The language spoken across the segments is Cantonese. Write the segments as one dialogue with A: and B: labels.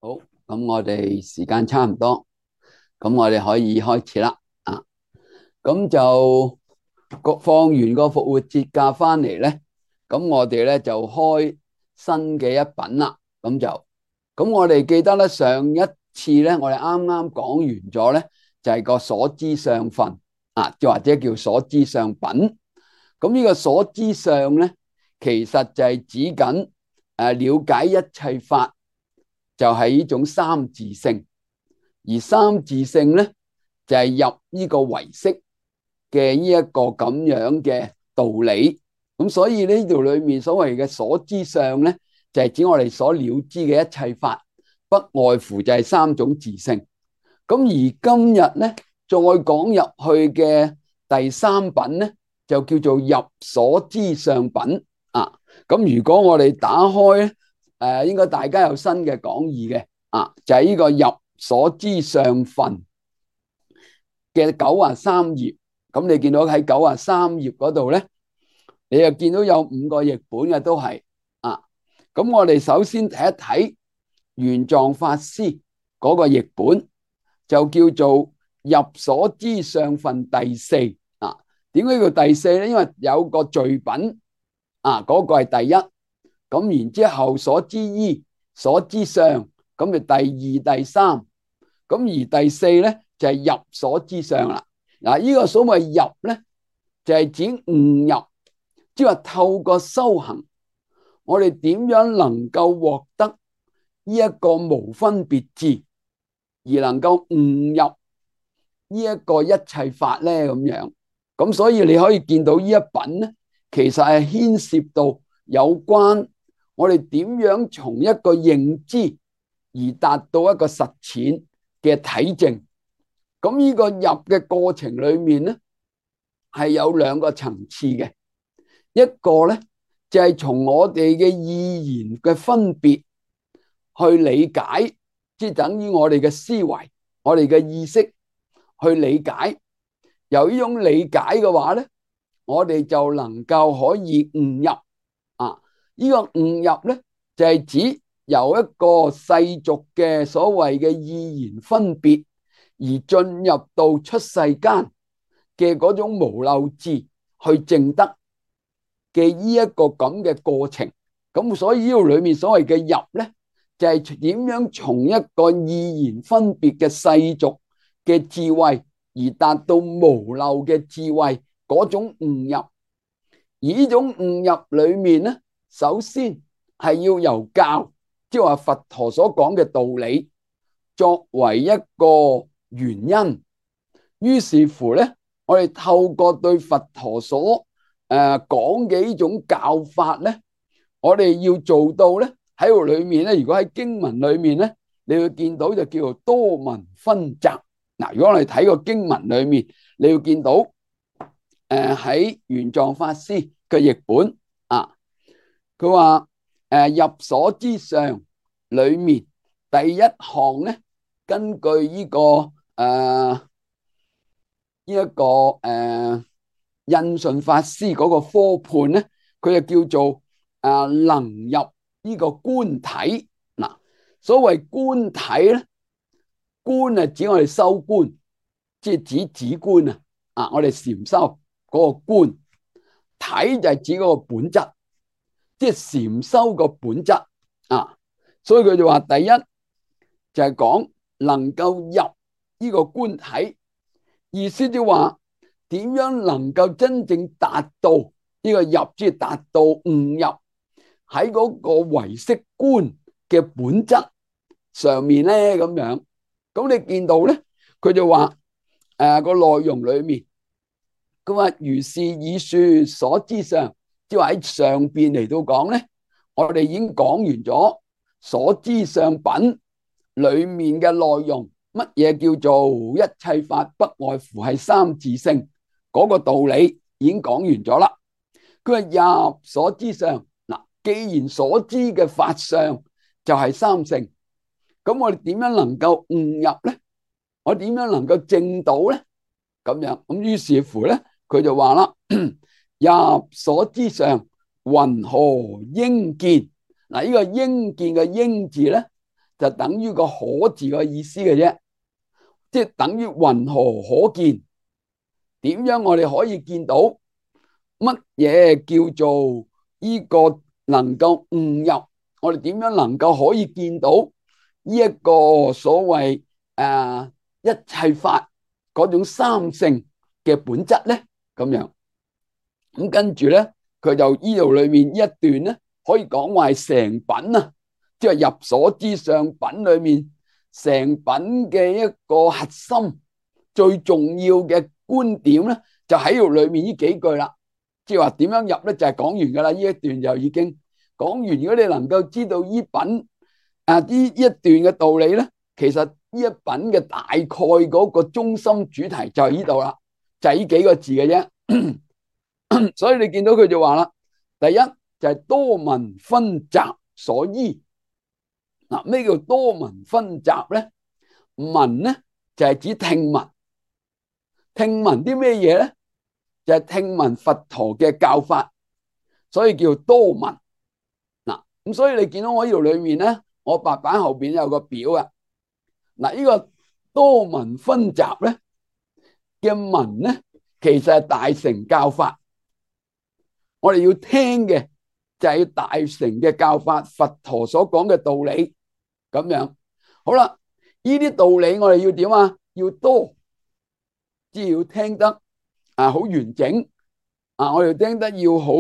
A: 好，咁我哋時間差唔多，咁我哋可以開始啦。咁就放完個復活節假翻嚟咧，咁我哋咧就開新嘅一品啦。咁我哋記得咧，上一次咧，我哋啱啱講完咗咧，就係個所知相分又或者叫所知相品。咁呢個所知相咧，其實就係指緊了解一切法。就係呢種三自性，而三自性咧就係入呢個唯識嘅呢一個咁樣嘅道理。咁所以呢度裏面所謂嘅所知相咧，就係指我哋所了知嘅一切法，不外乎就係三種自性。咁而今日咧再講入去嘅第三品咧，就叫做入所知相品啊。咁如果我哋打開咧，應該大家有新嘅講義嘅就係呢個入所知相分嘅93頁。咁你見到喺93頁嗰度咧，你又見到有5個譯本嘅都係咁我哋首先睇一睇玄奘法師嗰個譯本，就叫做入所知相分第四點解叫第四咧？因為有個序品嗰個係第一，咁然之後所知依、所知相，咁就第二、第三，咁而第四咧就係入所知相啦。呢個所謂入咧，就係指悟入，即係話透過修行，我哋點樣能夠獲得呢一個無分別智，而能夠悟入呢一個一切法咧咁樣。咁所以你可以見到呢一品咧，其實係牽涉到有關我哋點樣從一個認知而達到一個實踐嘅體證。咁呢個入嘅過程裏面咧，係有2個層次嘅。一個咧就係從我哋嘅意言嘅分別去理解，即係等於我哋嘅思維、我哋嘅意識去理解。由呢種理解嘅話咧，我哋就能夠可以悟入呢個悟入咧，就係指由一個世俗嘅所謂嘅意言分別，而進入到出世間嘅嗰種無漏智去證得嘅呢一個咁嘅過程。咁所以呢度裏面所謂嘅入咧，就係點樣從一個意言分別嘅世俗嘅智慧，而達到無漏嘅智慧嗰種悟入。而呢種悟入裏面咧，首先係要由教，即係話佛陀所講嘅道理作為一個原因。於是乎咧，我哋透過對佛陀所講嘅呢種教法咧，我哋要做到咧，喺度裏面咧，如果喺經文裏面咧，你會見到就叫做多聞分集。如果我哋睇個經文裏面，你會見到喺玄奘法師嘅譯本佢話入所知相裏面第一項咧，根據呢個印順法師嗰個科判咧，佢就叫做能入呢個觀體。所謂觀體咧，觀係指我哋修觀，即係指止觀我哋禪修嗰個觀。體就係指嗰個本質，即係禪修個本質所以佢就話第一就係講能夠入呢個觀體，意思就話點樣能夠真正達到呢個入，即係達到悟入喺嗰個唯識觀嘅本質上面咧咁樣。咁你見到咧，佢就話個內容裏面，佢話如是以說所知相，即係話喺上邊嚟到講咧，我哋已經講完咗所知相品裏面嘅內容。乜嘢叫做一切法不外乎係三自性嗰個道理已經講完咗啦。佢話入所知相，既然所知嘅法相就係三性，咁我哋點樣能夠悟入咧？我點樣能夠證到咧？咁樣咁於是乎咧，佢就話啦，入所知相，云何應見？呢個應見嘅應字咧，就等於個可字嘅意思嘅啫，即係等於雲何可見？點樣我哋可以見到乜嘢叫做呢個能夠悟入？我哋點樣能夠可以見到呢一個所謂一切法嗰種三性嘅本質咧？咁樣咁跟住咧，佢就呢度裏面一段咧，可以講話係成品啊，即係入所知相品裏面成品嘅一個核心最重要嘅觀點咧，就喺度裏面呢幾句啦。即係話點樣入咧，就係講完噶啦。呢一段就已經講完。如果你能夠知道呢品呢一段嘅道理咧，其實呢一品嘅大概嗰個中心主題就係呢度啦，就係呢幾個字嘅啫。所以你見到佢就話啦，第一就係多聞分集所依。嗱，咩叫多聞分集咧？聞咧就係指聽聞，聽聞啲咩嘢咧？就係聽聞佛陀嘅教法，所以叫多聞。嗱，咁所以你見到我呢度裏面咧，我白板後邊有個表啊。嗱，呢個多聞分集咧嘅聞咧，其實係大乘教法。我哋要聽嘅就係大乘嘅教法，佛陀所講嘅道理咁樣。好啦，呢啲道理我哋要點啊？要多，即係要聽得好完整我哋聽得要好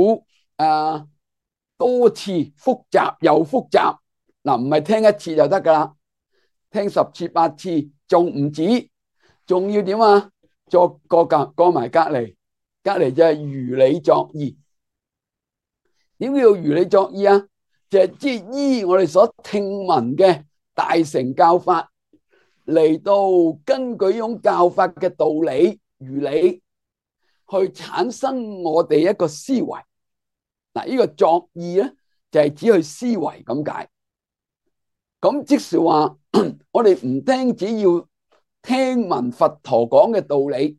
A: 多次，複雜又複雜。嗱，唔係聽一次就得噶啦，聽10次8次仲唔止，仲要點啊？再過埋隔籬就係如理作意。點叫如理作意啊？就係即係依我哋所聽聞嘅大乘教法嚟到根據呢種教法嘅道理如理去產生我哋一個思維。嗱，呢個作意咧就係指去思維咁解。咁即是話我哋唔單止要聽聞佛陀講嘅道理，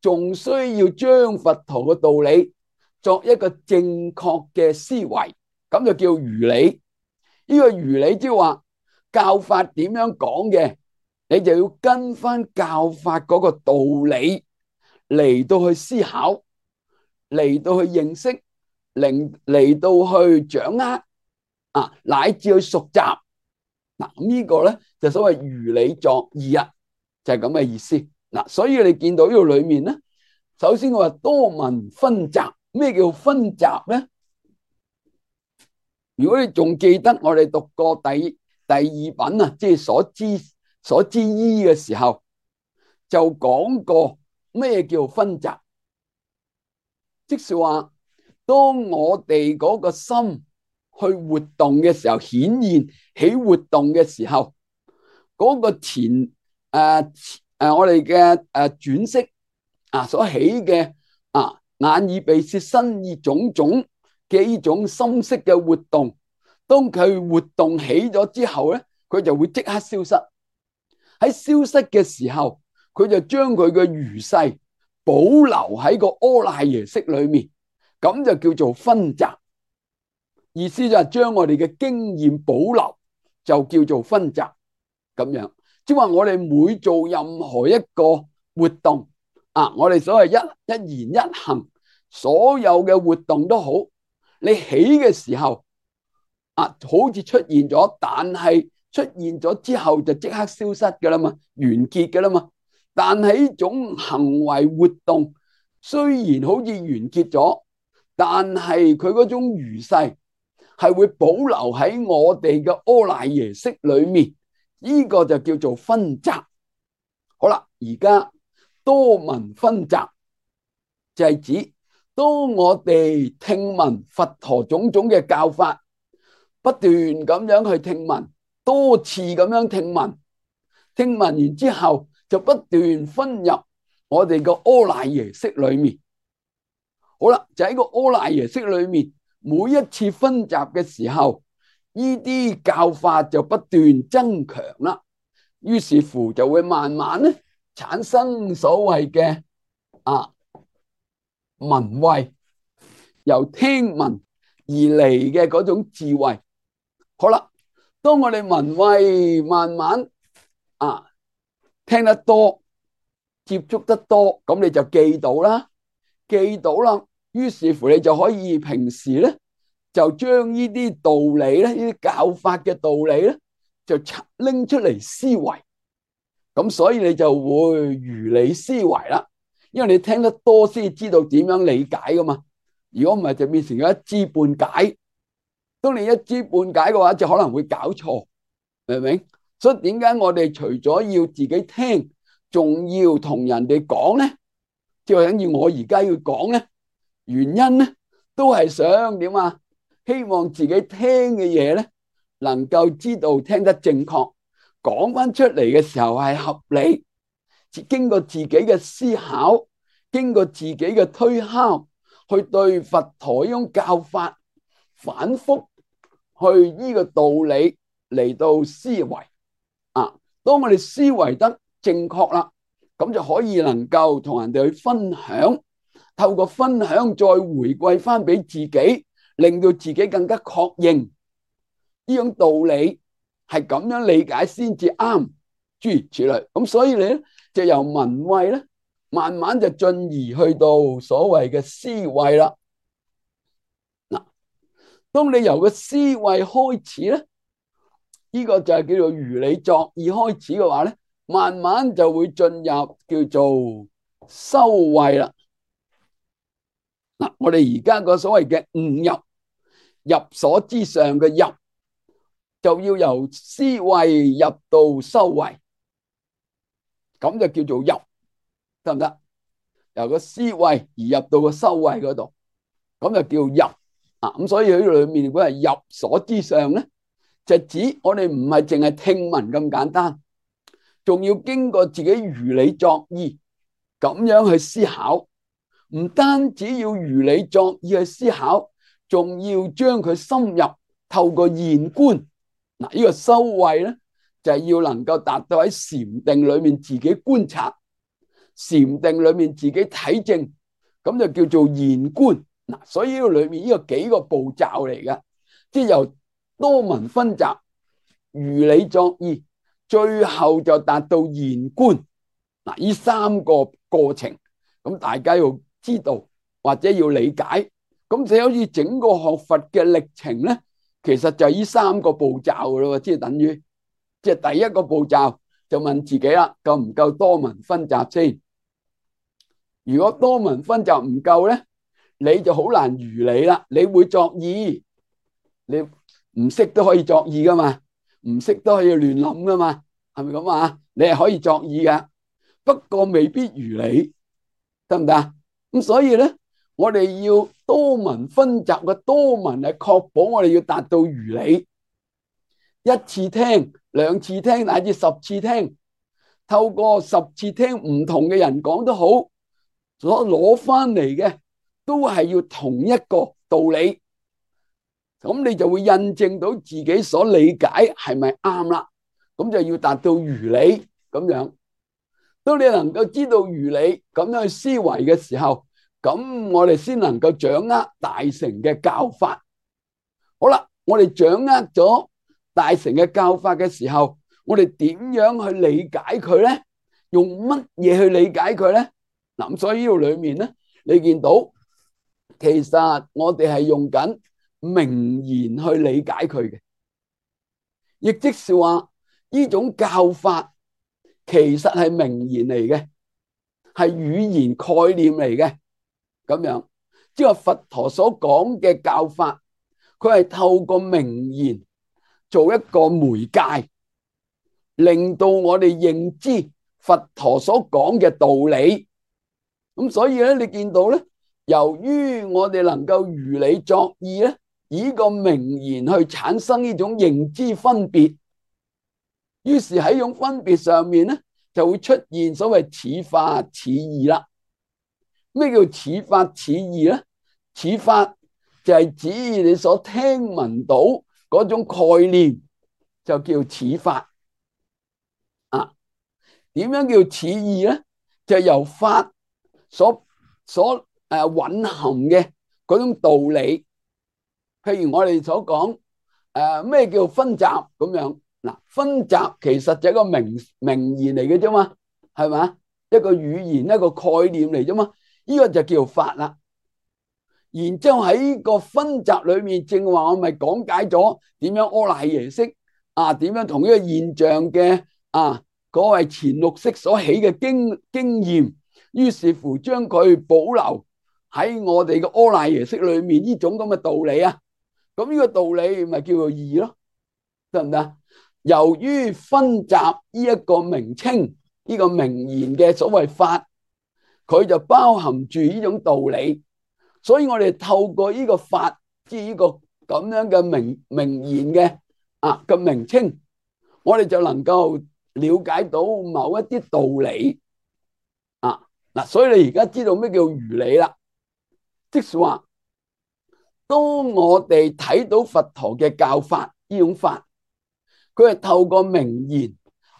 A: 仲需要將佛陀嘅道理作一個正確嘅思維，咁就叫如理。呢個如理即係話教法點樣講嘅，你就要跟翻教法嗰個道理嚟到去思考，嚟到去認識，嚟到去掌握乃至去熟習。嗱，咁呢個咧就所謂如理作意啊，就係咁嘅意思。嗱，所以你見到呢度裏面咧，首先我話多聞分集。咩叫分集咧？如果你仲記得我哋讀過第二品啊，即係所知依嘅時候，就講過咩叫分集。即是話當我哋嗰個心去活動嘅時候，顯現起活動嘅時候，嗰個我哋嘅轉識所起嘅眼耳鼻舌身意種種嘅呢種心識嘅活動，當佢活動起咗之後咧，佢就會即刻消失。喺消失嘅時候，佢就將佢嘅餘勢保留喺個阿賴耶識裏面，咁就叫做分集。意思就係將我哋嘅經驗保留，就叫做分集咁樣。即係話我哋每做任何一個活動我哋所謂一言一行，所有嘅活動都好，你起嘅時候好似出現咗，但係出現咗之後就即刻消失噶啦嘛，完結噶啦嘛。但係呢種行為活動雖然好似完結咗，但係佢嗰種餘勢係會保留喺我哋嘅阿賴耶識裏面，呢個就叫做分集。好啦，而家多聞分集就係指當我哋聽聞佛陀種種嘅教法，不斷咁樣去聽聞，多次咁樣聽聞，聽聞完之後就不斷分入我哋個阿賴耶識裏面。好啦，就喺個阿賴耶識裏面，每一次分集嘅時候，呢啲教法就不斷增強啦，於是乎就會慢慢咧產生所謂嘅聞慧，由聽聞而嚟嘅嗰種智慧。好啦，當我哋聞慧慢慢聽得多，接觸得多，咁你就記到啦，記到啦。於是乎你就可以平時咧就將呢啲道理咧，呢啲教法嘅道理咧，就拎出嚟思維。咁所以你就會如理思維啦，因為你聽得多先知道點樣理解噶嘛。如果唔係就變成咗一知半解。當你一知半解嘅話，就可能會搞錯，明唔明？所以點解我哋除咗要自己聽，仲要同人哋講咧？即係等於我而家要講咧，原因咧都係想點啊？希望自己聽嘅嘢咧，能夠知道聽得正確，講翻出嚟嘅時候係合理，經過自己嘅思考，經過自己嘅推敲，去對佛陀呢種教法反覆去呢個道理嚟到思維當我哋思維得正確啦，咁就可以能夠同人哋去分享，透過分享再回饋翻俾自己，令到自己更加確認呢種道理係咁樣理解先至啱，諸如此類。咁所以你咧就由聞慧咧，慢慢就進而去到所謂嘅思慧啦。嗱，當你由個思慧開始咧，呢個就係叫做如理作意開始嘅話咧，慢慢就會進入叫做修慧啦。嗱，我哋而家個所謂嘅悟入，入所之上嘅入，就要由思慧入到修慧，咁就叫做入，得唔得？由個思慧而入到個修慧嗰度，咁就叫入咁所以喺裏面如果係入所之上咧，就指我哋唔係淨係聽聞咁簡單，仲要經過自己如理作意咁樣去思考。唔單止要如理作意去思考，仲要將佢深入透過現觀。嗱，呢個修慧咧就係要能夠達到喺禪定裏面自己觀察，禪定裏面自己體證，咁就叫做現觀。嗱，所以呢個裏面呢個幾個步驟嚟嘅，即係由多聞分集、如理作意，最後就達到現觀。嗱，呢三個過程，咁大家要知道或者要理解，咁就好似整個學佛嘅歷程咧，其實就係呢三個步驟噶咯，即係等於即係第一個步驟就問自己啦，夠唔夠多聞分集先？如果多聞分集唔夠咧，你就好難如理啦。你會作意，你唔識都可以作意噶嘛，唔識都可以亂諗噶嘛，係咪咁啊？你係可以作意噶，不過未必如理，得唔得？咁所以咧，我哋要多聞分集嘅多聞係確保我哋要達到如理，一次聽、兩次聽乃至10次聽，透過10次聽唔同嘅人講都好，所攞翻嚟嘅都係要同一個道理，咁你就會印證到自己所理解係咪啱啦，咁就要達到如理咁樣。當你能夠知道如理咁樣去思維嘅時候，咁我哋先能夠掌握大乘嘅教法。好啦，我哋掌握咗大乘嘅教法嘅時候，我哋點樣去理解佢咧？用乜嘢去理解佢咧？嗱，咁所以呢度裏面咧，你見到其實我哋係用緊名言去理解佢嘅，亦即是話呢種教法其實係名言嚟嘅，係語言概念嚟嘅。咁樣即係佛陀所講嘅教法，佢係透過名言做一個媒介，令到我哋認知佛陀所講嘅道理。咁所以咧，你見到咧，由於我哋能夠如理作意咧，以個名言去產生呢種認知分別，於是喺呢種分別上面咧，就會出現所謂似法似義啦。咩叫似法似義咧？似法就係指你所聽聞到嗰種概念，就叫似法。點樣叫似義咧？就係由法所蘊含嘅嗰種道理。譬如我哋所講咩叫分集咁樣？嗱，分集其實就係一個名言嚟嘅啫嘛，係嘛？一個語言一個概念嚟啫嘛，呢個就叫法啦。然之後喺個分集裏面，正話我咪講解咗點樣阿賴耶識點樣同呢個現象嘅嗰位前六識所起嘅經驗，於是乎將佢保留喺我哋嘅阿賴耶識裏面呢種咁嘅道理啊。咁呢個道理咪叫做義咯，得唔得？由於分集呢一個名稱，呢個名言嘅所謂法，佢就包含住呢種道理。所以我哋透過呢個法，即係呢個咁樣嘅名言嘅名稱，我哋就能夠了解到某一啲道理嗱。所以你而家知道咩叫如理啦，即是話當我哋睇到佛陀嘅教法呢種法，佢係透過名言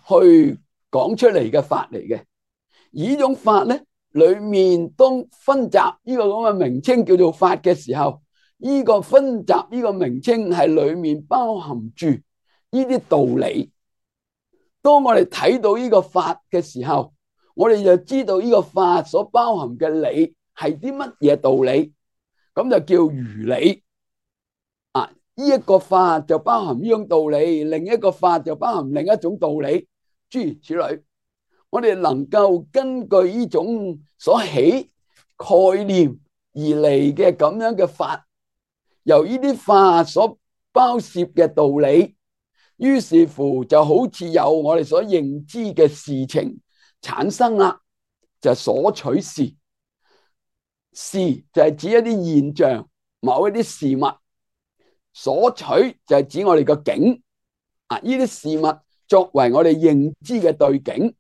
A: 去講出嚟嘅法嚟嘅。而呢種法咧，裏面當分集呢個咁嘅名稱叫做法嘅時候，呢個分集呢個名稱係裏面包含住呢啲道理。當我哋睇到呢個法嘅時候，我哋就知道呢個法所包含嘅理係啲乜嘢道理，咁就叫如理。呢一個法就包含呢種道理，另一個法就包含另一種道理，諸如此類。我哋能夠根據呢種所起概念而嚟嘅咁樣嘅法，由呢啲法所包涉嘅道理，於是乎就好似有我哋所認知嘅事情產生啦，就所取事。事就係指一啲現象，某一啲事物。所取就係指我哋個境呢啲事物作為我哋認知嘅對境，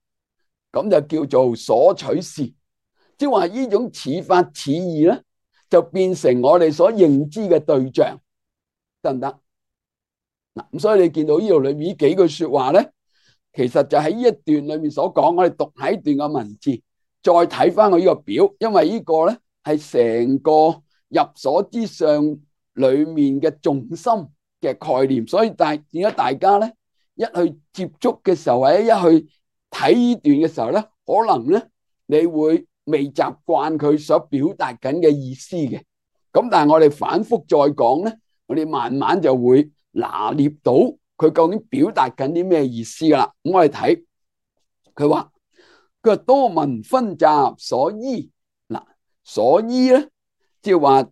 A: 咁就叫做所取事。即係話呢種似法似義咧，就變成我哋所認知嘅對象，得唔得？咁所以你見到呢度裏面幾句說話咧，其實就喺呢一段裏面所講。我哋讀喺段嘅文字，再睇翻我呢個表，因為呢個咧係成個入所之上裏面嘅重心嘅概念，所以點解大家咧一去接觸嘅時候，或者一去睇呢段嘅時候咧，可能咧你會未習慣佢所表達緊嘅意思嘅。咁但係我哋反覆再講咧，我哋慢慢就會拿捏到佢究竟表達緊啲咩意思噶啦。咁我哋睇佢話多聞分集所依，所依咧即係話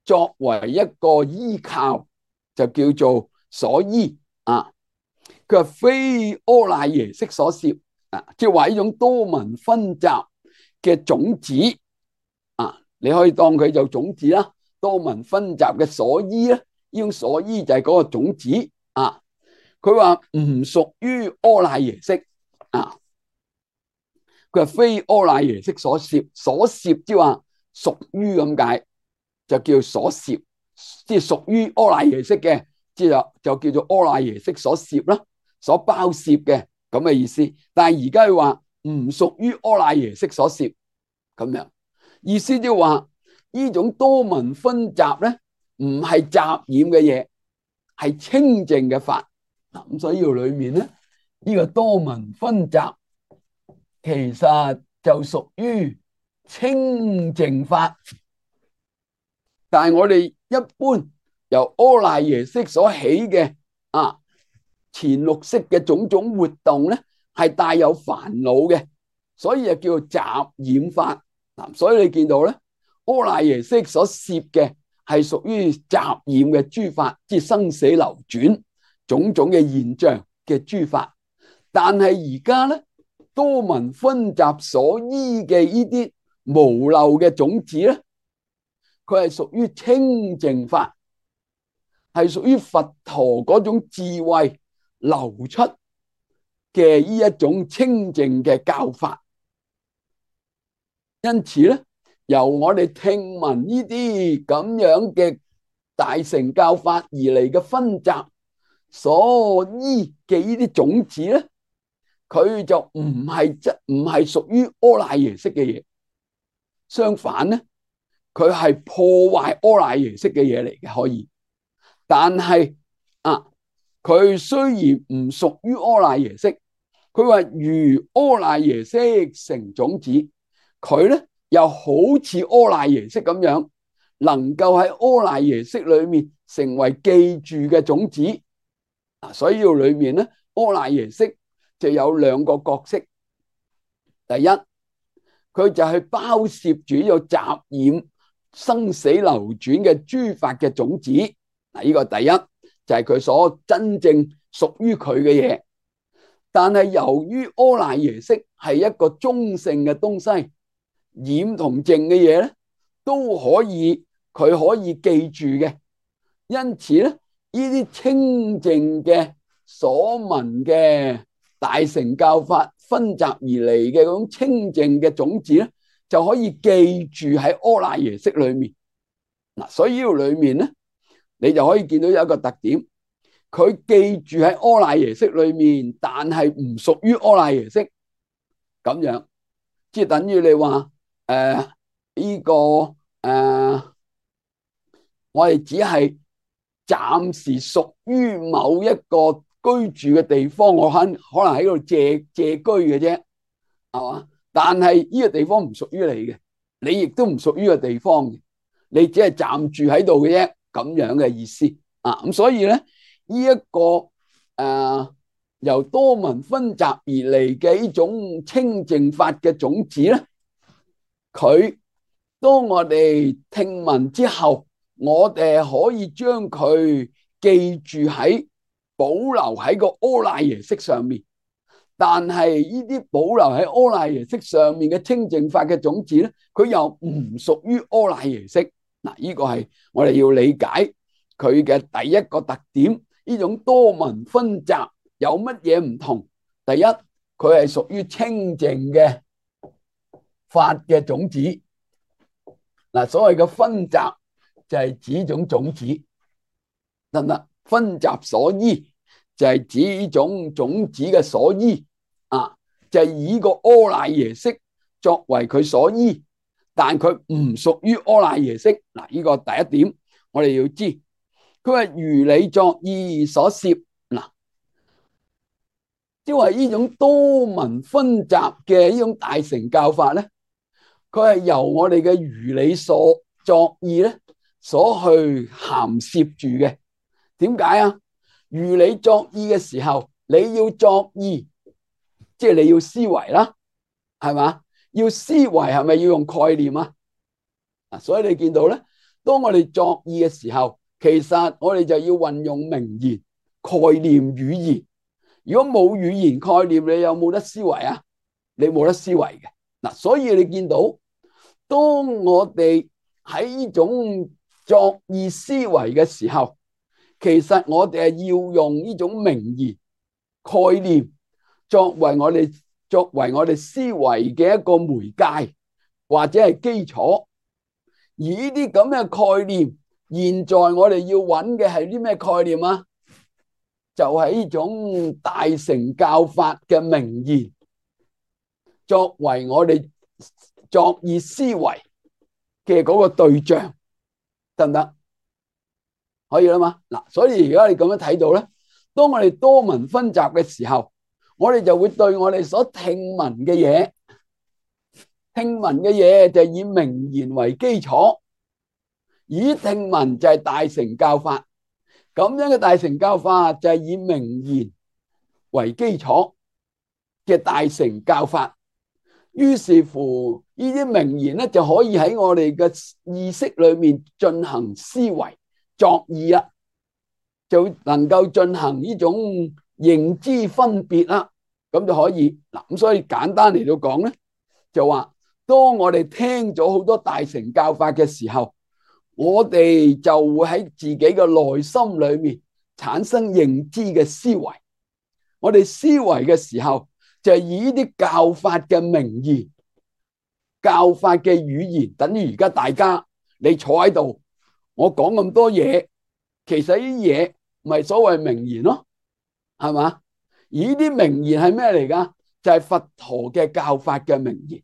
A: 作為一個依靠，就叫做所依佢話非阿賴耶識所攝即係話呢種多聞分集嘅種子你可以當佢就種子啦。多聞分集嘅所依咧，呢種所依就係嗰個種子佢話唔屬於阿賴耶識佢話非阿賴耶識所攝，所攝即係話屬於咁解，就叫所攝，即係屬於阿賴耶識嘅，即係就叫做阿賴耶識所攝啦，所包攝嘅咁嘅意思。但係而家佢話唔屬於阿賴耶識所攝，咁樣意思即係話呢種多聞分集咧，唔係雜染嘅嘢，係清淨嘅法。咁所以呢裏面咧，呢個多聞分集其實就屬於清淨法。但係我哋一般由阿賴耶識所起嘅前六識嘅種種活動咧，係帶有煩惱嘅，所以就叫做雜染法。所以你見到咧，阿賴耶識所攝嘅係屬於雜染嘅諸法，即係生死流轉種種嘅現象嘅諸法。但係而家咧，多聞分集所依嘅呢啲無漏嘅種子咧，佢係屬於清淨法，係屬於佛陀嗰種智慧流出嘅呢一種清淨嘅教法。因此咧，由我哋聽聞呢啲咁樣嘅大乘教法而嚟嘅分集所依嘅呢啲種子咧，佢就唔係屬於阿賴耶識嘅嘢，相反咧，佢係破壞阿賴耶識嘅嘢嚟嘅，可以。但係啊，佢雖然唔屬於柯乃耶識，佢話如柯乃耶識成種子，佢咧又好似柯乃耶識咁樣，能夠喺柯乃耶識裏面成為記住嘅種子。所以裏面咧，柯乃耶識就有兩個角色。第一，佢就係包攝住有雜染生死流轉嘅諸法嘅種子。呢個第一就係佢所真正屬於佢嘅嘢。但係由於柯乃耶識係一個中性嘅東西，染同淨嘅嘢咧都可以，佢可以記住嘅。因此咧，呢啲清淨嘅所聞嘅大乘教法分集而嚟嘅嗰種清淨嘅種子咧，就可以記住喺柯乃耶識裏面。所以呢度裏面咧，你就可以見到有一個特點，佢記住喺柯乃耶識裏面，但係唔屬於柯乃耶識咁樣，即係等於你話呢個我哋只係暫時屬於某一個居住嘅地方，我可能喺度借居嘅啫，係嘛？但係呢個地方唔屬於你嘅，你亦都唔屬於個地方嘅，你只係暫住喺度嘅啫，咁樣嘅意思啊。咁所以咧，呢一個由多聞分集而嚟嘅呢種清淨法嘅種子咧，佢當我哋聽聞之後，我哋可以將佢記住喺保留喺個柯乃耶識上面。但係呢啲保留喺柯乃耶識上面嘅清淨法嘅種子咧，佢又唔屬於柯乃耶識。嗱，呢個係我哋要理解佢嘅第一個特點。呢種多聞分集有乜嘢唔同？第一，佢係屬於清淨嘅法嘅種子。嗱，所謂嘅分集就係指種種子，得唔得？分集所依就係指呢種種子嘅所依啊，就係以個柯乃耶識作為佢所依，但佢唔屬於柯乃耶識。嗱，呢個第一點我哋要知。佢話如理作意所攝，嗱，即係話呢種多聞分集嘅呢種大乘教法咧，佢係由我哋嘅如理所作意咧所去涵攝住嘅。點解啊？如理作意嘅時候，你要作意，即係你要思維啦，係嘛？要思維係咪要用概念啊？所以你見到咧，當我哋作意嘅時候，其實我哋就要運用名言、概念、語言。如果冇語言概念，你有冇得思維啊？你冇得思維嘅。嗱，所以你見到，當我哋喺呢種作意思維嘅時候，其實我哋係要用呢種名言概念作為我哋思維嘅一個媒介或者係基礎。而呢啲咁嘅概念，現在我哋要揾嘅係啲咩概念啊？就係呢種大乘教法嘅名言，作為我哋作意思維嘅嗰個對象，得唔得？可以啦嘛？嗱，所以而家你咁樣睇到咧，當我哋多聞分集嘅時候，我哋就會對我哋所聽聞嘅嘢就以名言為基礎，以聽聞就係大乘教法，咁樣嘅大乘教法就係以名言為基礎嘅大乘教法。於是乎，呢啲名言咧就可以喺我哋嘅意識裏面進行思維作意啦，就能夠進行呢種認知分別啦，咁就可以嗱。咁所以簡單嚟到講咧，就話當我哋聽咗好多大乘教法嘅時候，我哋就會喺自己嘅內心裏面產生認知嘅思維。我哋思維嘅時候，就係以呢啲教法嘅名言、教法嘅語言，等於而家大家你坐喺度，我講咁多嘢，其實呢啲嘢咪所謂名言咯，係嘛？而呢啲名言係咩嚟噶？就係佛陀嘅教法嘅名言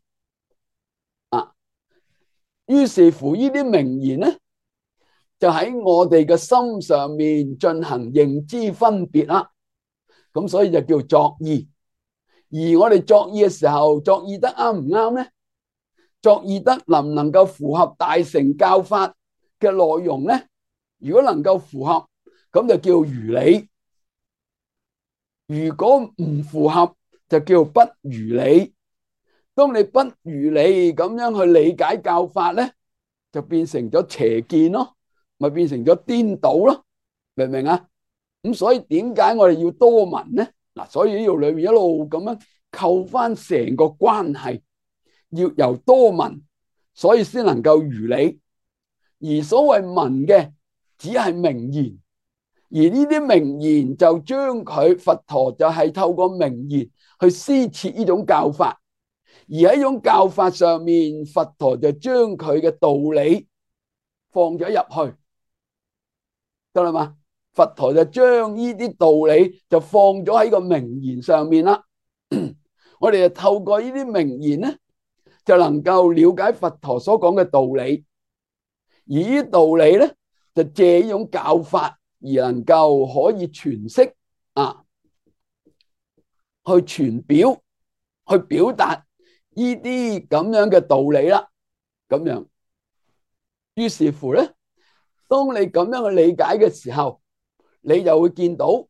A: 啊。於是乎，呢啲名言咧，就喺我哋嘅心上面進行認知分別啦。咁所以就叫作意。而我哋作意嘅時候，作意得啱唔啱咧？作意得能唔能夠符合大乘教法嘅內容咧？如果能夠符合，咁就叫如理；如果唔符合，就叫不如理。當你不如理咁樣去理解教法咧，就變成咗邪見咯，咪變成咗顛倒咯，明唔明啊？咁所以點解我哋要多聞咧？嗱，所以呢度裏面一路咁樣扣翻成個關係，要由多聞，所以先能夠如理。而所謂聞嘅，只係名言，而呢啲名言就將佢佛陀就係透過名言去施設呢種教法。而喺呢種教法上面，佛陀就將佢嘅道理放咗入去，得啦嘛？佛陀就將呢啲道理就放咗喺個名言上面啦。我哋就透過呢啲名言咧，就能夠了解佛陀所講嘅道理。而呢啲道理咧，就借呢種教法而能夠可以詮釋啊，去傳表，去表達呢啲咁樣嘅道理啦。咁樣，於是乎咧，當你咁樣去理解嘅時候，你就會見到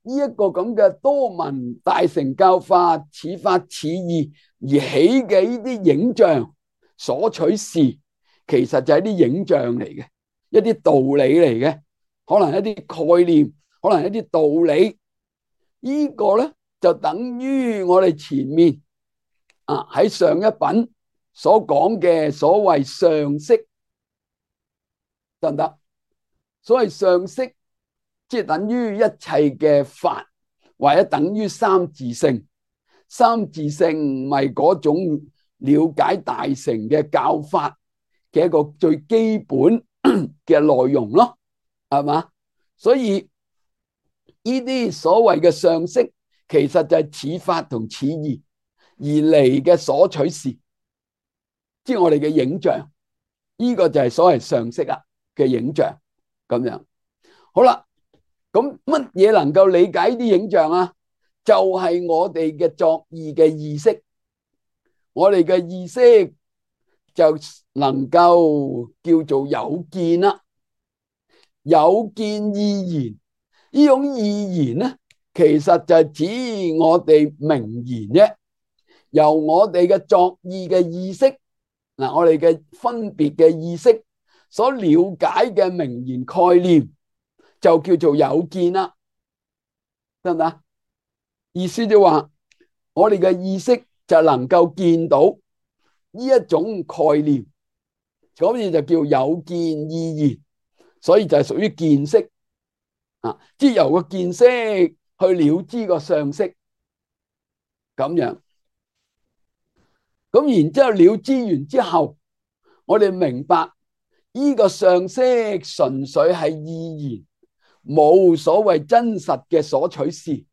A: 呢一個咁嘅多聞大乘教法似法似義而起嘅呢啲影像所取事，其實就係啲影像嚟嘅，一啲道理嚟嘅，可能一啲概念，可能一啲道理。呢個咧就等於我哋前面喺上一品所講嘅所謂上識，得唔得？所謂上識，即係等於一切嘅法，或者等於三自性。三自性咪嗰種了解大乘嘅教法嘅一個最基本嘅內容咯，係嘛？所以呢啲所謂嘅上識，其實就係似法同似義而嚟嘅所取事，即係我哋嘅影像。呢個就係所謂上識啊嘅影像咁樣。好啦，咁乜嘢能夠理解呢啲影像啊？就係我哋嘅作意嘅意識，我哋嘅意識就能夠叫做有見啦。有見意言，呢種意言咧，其實就係指我哋名言啫。由我哋嘅作意嘅意識，我哋嘅分別嘅意識所了解嘅名言概念，就叫做有見啦，得唔得？意思就話，我哋嘅意識就能夠見到呢一種概念，所以就叫有見意言，所以就係屬於見識即係由個見識去了知個上識咁樣。咁然之後了知完之後，我哋明白呢個上識純粹係意言，冇所謂真實嘅所取事，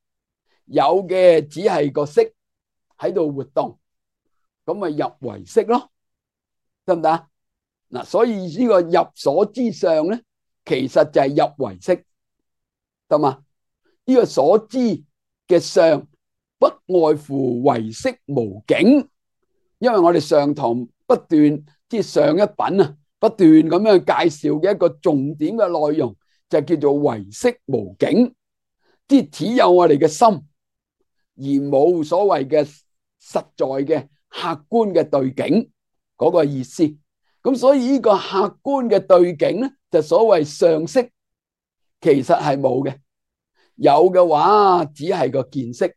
A: 有嘅只係個識喺度活動，咁咪入為識咯，得唔得？嗱，所以呢個入所知相咧，其實就係入為識，得嘛？呢個所知嘅相不外乎唯識無境。因為我哋上堂不斷即係上一品不斷咁樣介紹嘅一個重點嘅內容，就叫做唯識無境，即係只有我哋嘅心，而冇所謂嘅實在嘅客觀嘅對境嗰個意思。咁所以呢個客觀嘅對境咧，就所謂上識，其實係冇嘅。有嘅話，只係個見識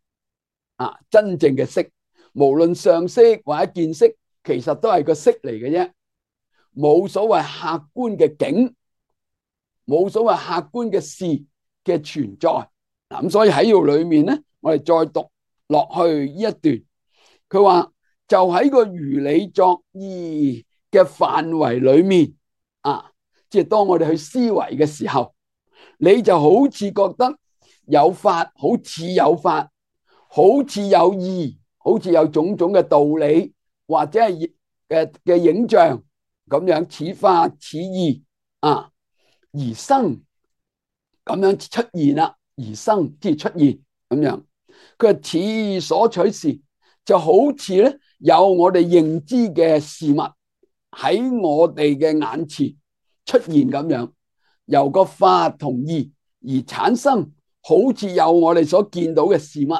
A: 真正嘅識。無論上識或者見識，其實都係個識嚟嘅啫，冇所謂客觀嘅境，冇所謂客觀嘅事嘅存在。咁所以喺呢度裏面咧，我哋再讀落去呢一段，佢話就喺個如理作意嘅範圍裏面即係當我哋去思維嘅時候，你就好似覺得有法，好似有法，好似有義，好似有種種嘅道理，或者係嘅影像咁樣，似法似義而生咁樣出現啦，而生即係出現咁樣。佢話似所取事，就好似咧有我哋認知嘅事物喺我哋嘅眼前出現咁樣，由個法同義而產生，好似有我哋所見到嘅事物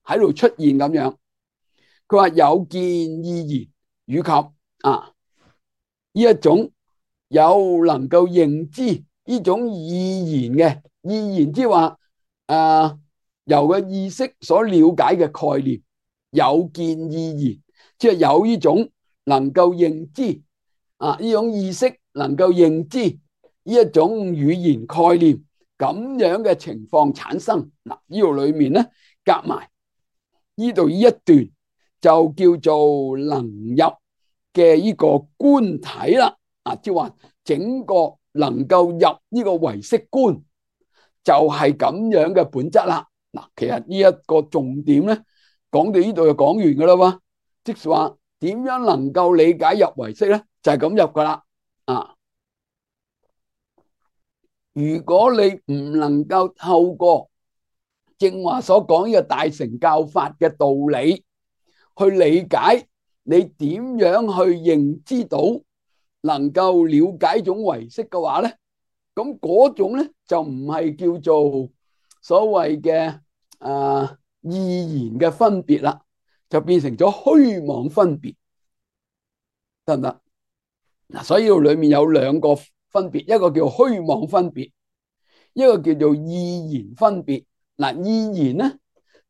A: 喺度出現咁樣。佢話有見意言，以及呢一種有能夠認知呢種意言嘅意言，即係話由個意識所了解嘅概念，有見意言，即係有呢種能夠認知呢種意識能夠認知呢一種語言概念咁樣嘅情況產生。嗱，呢度裏面咧夾埋呢度呢一段就叫做能入嘅呢個觀體啦。即係話整個能夠入呢個唯識觀就係咁樣嘅本質啦。嗱，其實呢一個重點咧講到呢度就講完噶啦喎，即係話點樣能夠理解入唯識咧，就係咁入噶啦。如果你唔能夠透過正話所講呢個大乘教法嘅道理去理解，你點樣去認知到能夠了解種唯識嘅話咧，咁嗰種咧就唔係叫做所謂嘅意言嘅分別啦，就變成咗虛妄分別，得唔得？嗱，所以裏面有兩個分別，一個叫虛妄分別，一個叫做意言分別。嗱，意言咧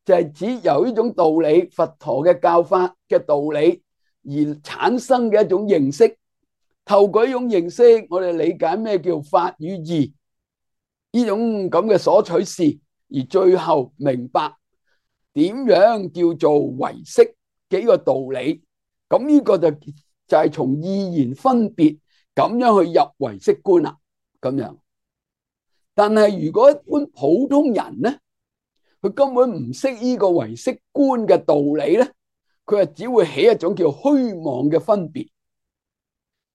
A: 就係指由呢種道理，佛陀嘅教法嘅道理而產生嘅一種認識。透過呢種認識，我哋理解咩叫法與義呢種咁嘅所取事，而最後明白點樣叫做唯識嘅呢個道理。咁呢個就係從意言分別咁樣去入唯識觀啦。咁樣，但係如果一般普通人咧，佢根本唔識呢個唯識觀嘅道理咧，佢係只會起一種叫虛妄嘅分別。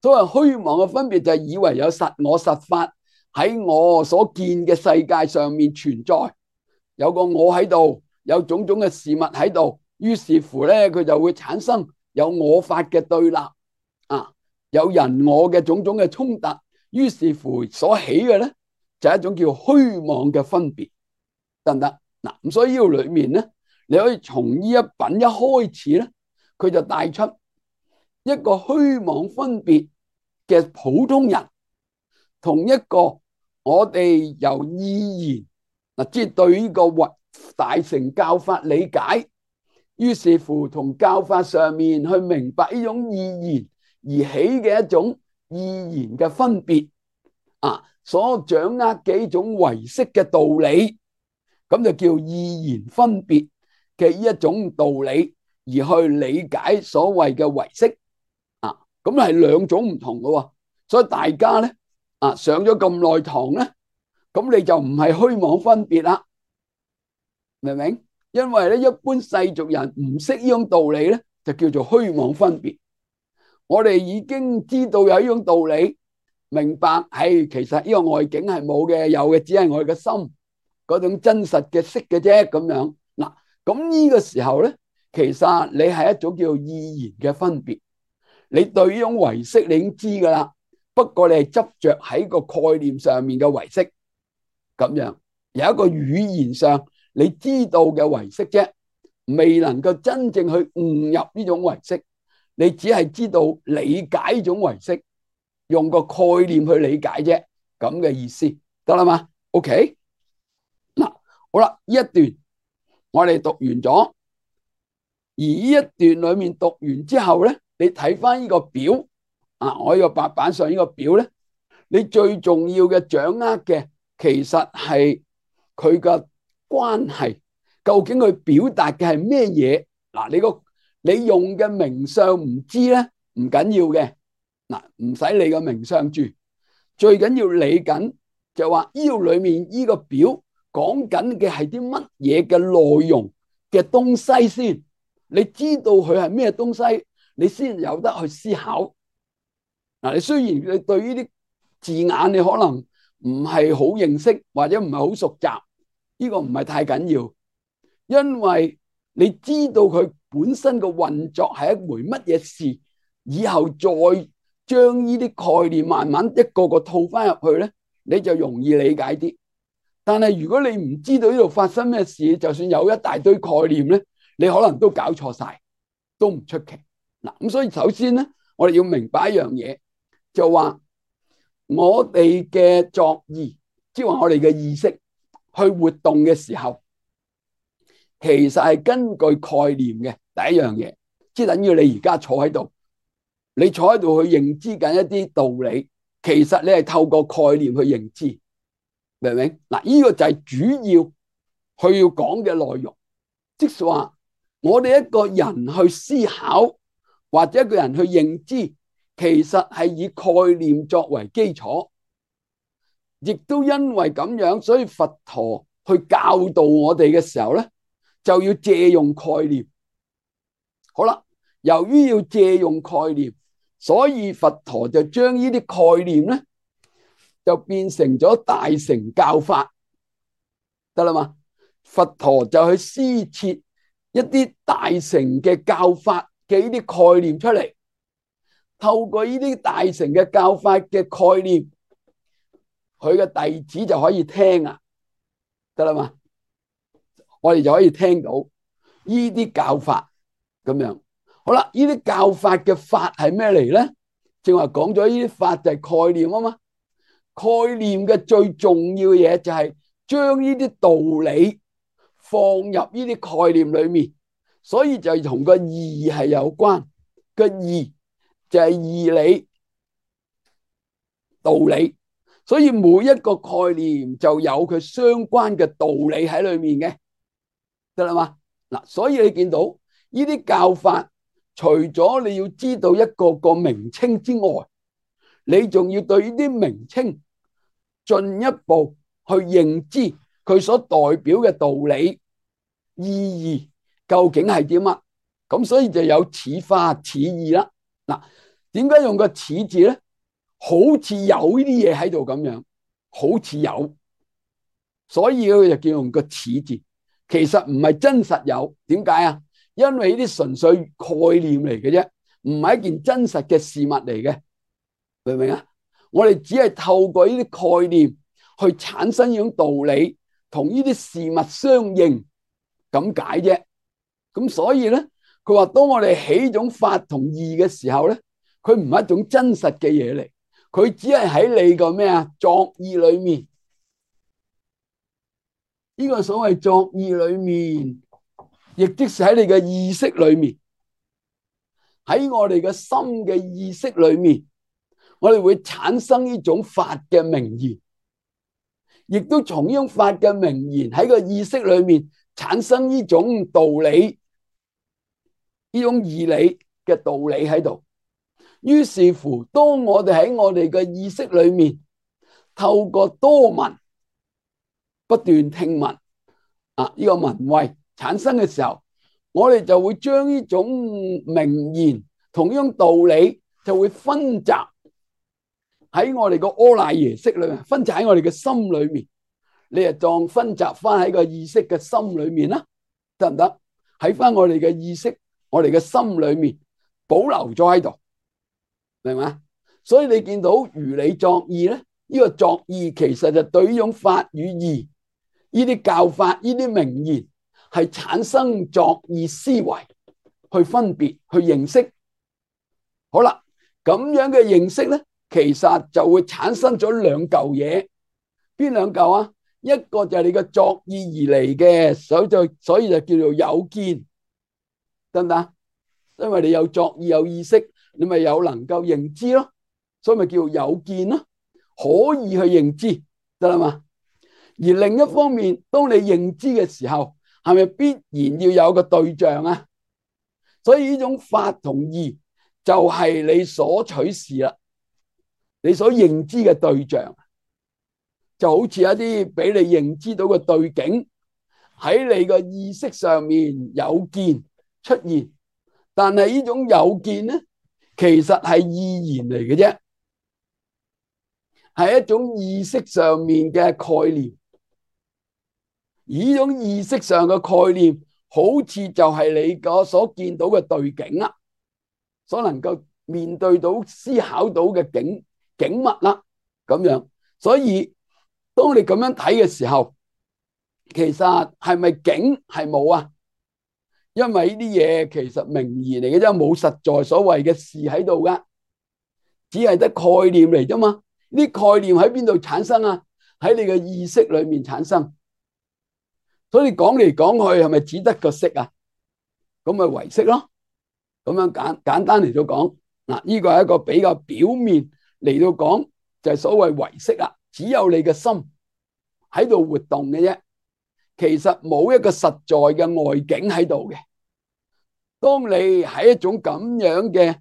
A: 所謂虛妄嘅分別就係以為有實我實法喺我所見嘅世界上面存在，有個我喺度，有種種嘅事物喺度，於是乎咧佢就會產生有我法嘅對立有人我嘅種種嘅衝突，於是乎所起嘅咧就係一種叫虛妄嘅分別，得唔得？嗱，咁所以呢度裏面咧，你可以從呢一品一開始咧，佢就帶出一個虛妄分別嘅普通人，同一個我哋由意言即係對呢個大乘教法理解，於是乎同教法上面去明白呢種意言而起嘅一種意言嘅分別所掌握嘅一種唯識嘅道理，咁就叫意言分別嘅一種道理，而去理解所謂嘅唯識咁係兩種唔同嘅。所以大家咧上咗咁耐堂咧，咁你就唔係虛妄分別啦，明唔明？因為咧一般世俗人唔識呢種道理咧，就叫做虛妄分別。我哋已經知道有呢種道理，明白係其實呢個外境係冇嘅，有嘅只係我哋嘅心嗰種真實嘅識嘅啫。咁樣嗱，咁呢個時候咧，其實你係一種叫意言嘅分別。你對呢種唯識你已經知噶啦，不過你係執着喺個概念上面嘅唯識，咁樣有一個語言上你知道嘅唯識啫，未能夠真正去悟入呢種唯識，你只係知道理解呢種唯識，用個概念去理解啫，咁嘅意思得啦嘛 ？OK， 嗱，好啦，呢一段我哋讀完咗，而呢一段裏面讀完之後咧，你睇翻呢個表我呢個白板上呢個表咧，你最重要嘅掌握嘅其實係佢嘅關係，究竟佢表達嘅係咩嘢？嗱，你用嘅名相唔知咧，唔緊要嘅，唔使理個名相住，最緊要理緊就話呢度裏面呢個表講緊嘅係啲乜嘢嘅內容嘅東西先。你知道佢係咩東西，你先有得去思考。你雖然你對呢啲字眼你可能唔係好認識或者唔係好熟習，呢個唔係太緊要，因為你知道佢本身嘅運作係一回乜嘢事，以後再將呢啲概念慢慢一個個套翻入去咧，你就容易理解啲。但係如果你唔知道呢度發生咩事，就算有一大堆概念咧，你可能都搞錯晒，都唔出奇。嗱，咁所以首先咧，我哋要明白一樣嘢，就話我哋嘅作意，即係話我哋嘅意識去活動嘅時候，其實係根據概念嘅。第一樣嘢，即係等於你而家坐喺度，你坐喺度去認知緊一啲道理，其實你係透過概念去認知。明唔明？嗱，呢個就係主要去要講嘅內容，即係話我哋一個人去思考或者一個人去認知，其實係以概念作為基礎，亦都因為咁樣，所以佛陀去教導我哋嘅時候咧，就要借用概念。好啦，由於要借用概念，所以佛陀就將呢啲概念咧，就變成咗大乘教法，得啦嘛？佛陀就去施設一啲大乘嘅教法嘅呢啲概念出嚟，透過呢啲大乘嘅教法嘅概念，佢嘅弟子就可以聽啊，得啦嘛？我哋就可以聽到呢啲教法咁樣。好啦，呢啲教法嘅法係咩嚟咧？正話講咗呢啲法就係概念啊嘛。概念嘅最重要嘅嘢就係將呢啲道理放入呢啲概念裏面，所以就同個義係有關。個義就係義理、道理，所以每一個概念就有佢相關嘅道理喺裏面嘅，得啦嘛？嗱，所以你見到呢啲教法，除咗你要知道一個個名稱之外，你仲要對呢啲名稱進一步去認知佢所代表嘅道理意義究竟係點啊？咁所以就有似法似義啦。嗱，點解用個似字咧？好似有呢啲嘢喺度咁樣，好似有，所以佢就叫用個似字。其實唔係真實有，點解啊？因為呢啲純粹概念嚟嘅啫，唔係一件真實嘅事物嚟嘅，明唔明啊？我哋只係透過呢啲概念去產生呢種道理，同呢啲事物相應咁解啫。咁所以咧，佢話當我哋起種法同義嘅時候咧，佢唔係一種真實嘅嘢嚟，佢只係喺你個咩啊作意裏面。呢個所謂作意裏面，亦即是喺你嘅意識裏面，喺我哋嘅心嘅意識裏面。我哋會產生呢種法嘅名言，亦都從呢種法嘅名言喺個意識裏面產生呢種道理，呢種義理嘅道理喺度。於是乎，當我哋喺我哋嘅意識裏面透過多聞不斷聽聞啊，呢個聞慧產生嘅時候，我哋就會將呢種名言同呢種道理就會分集喺我哋個阿賴耶識裏面，分集喺我哋嘅心裏面，你就當分集翻喺個意識嘅心裏面啦，得唔得？喺翻我哋嘅意識，我哋嘅心裏面保留咗喺度，明嘛？所以你見到如理作意咧，呢個作意其實就對呢種法與義，呢啲教法、呢啲名言係產生作意思維去分別去認識。好啦，咁樣嘅認識咧，其實就會產生咗兩嚿嘢，邊兩嚿啊？一個就係你嘅作意而嚟嘅，所以就叫做有見，得唔得？因為你有作意有意識，你咪有能夠認知咯，所以咪叫有見咯，可以去認知，得啦嘛？而另一方面，當你認知嘅時候，係咪必然要有個對象啊？所以呢種法同義就係你所取事啦。你所認知嘅對象就好似一啲俾你認知到嘅對境喺你個意識上面有見出現，但係呢種有見咧，其實係意言嚟嘅啫。係一種意識上面嘅概念，而呢種意識上嘅概念，好似就係你個所見到嘅對境啦，所能夠面對到、思考到嘅景物啦，咁樣。所以當你咁樣睇嘅時候，其實係咪景係冇啊？因為呢啲嘢其實名言嚟嘅啫，冇實在所謂嘅事喺度噶，只係得概念嚟啫嘛。呢概念喺邊度產生啊？喺你嘅意識裏面產生。所以講嚟講去係咪只得個識啊？咁咪唯識咯。咁樣簡單嚟到講，嗱，呢個係一個比較表面嚟到講，就係所謂唯識啊。只有你嘅心喺度活動嘅啫，其實冇一個實在嘅外境喺度嘅。當你喺一種咁樣嘅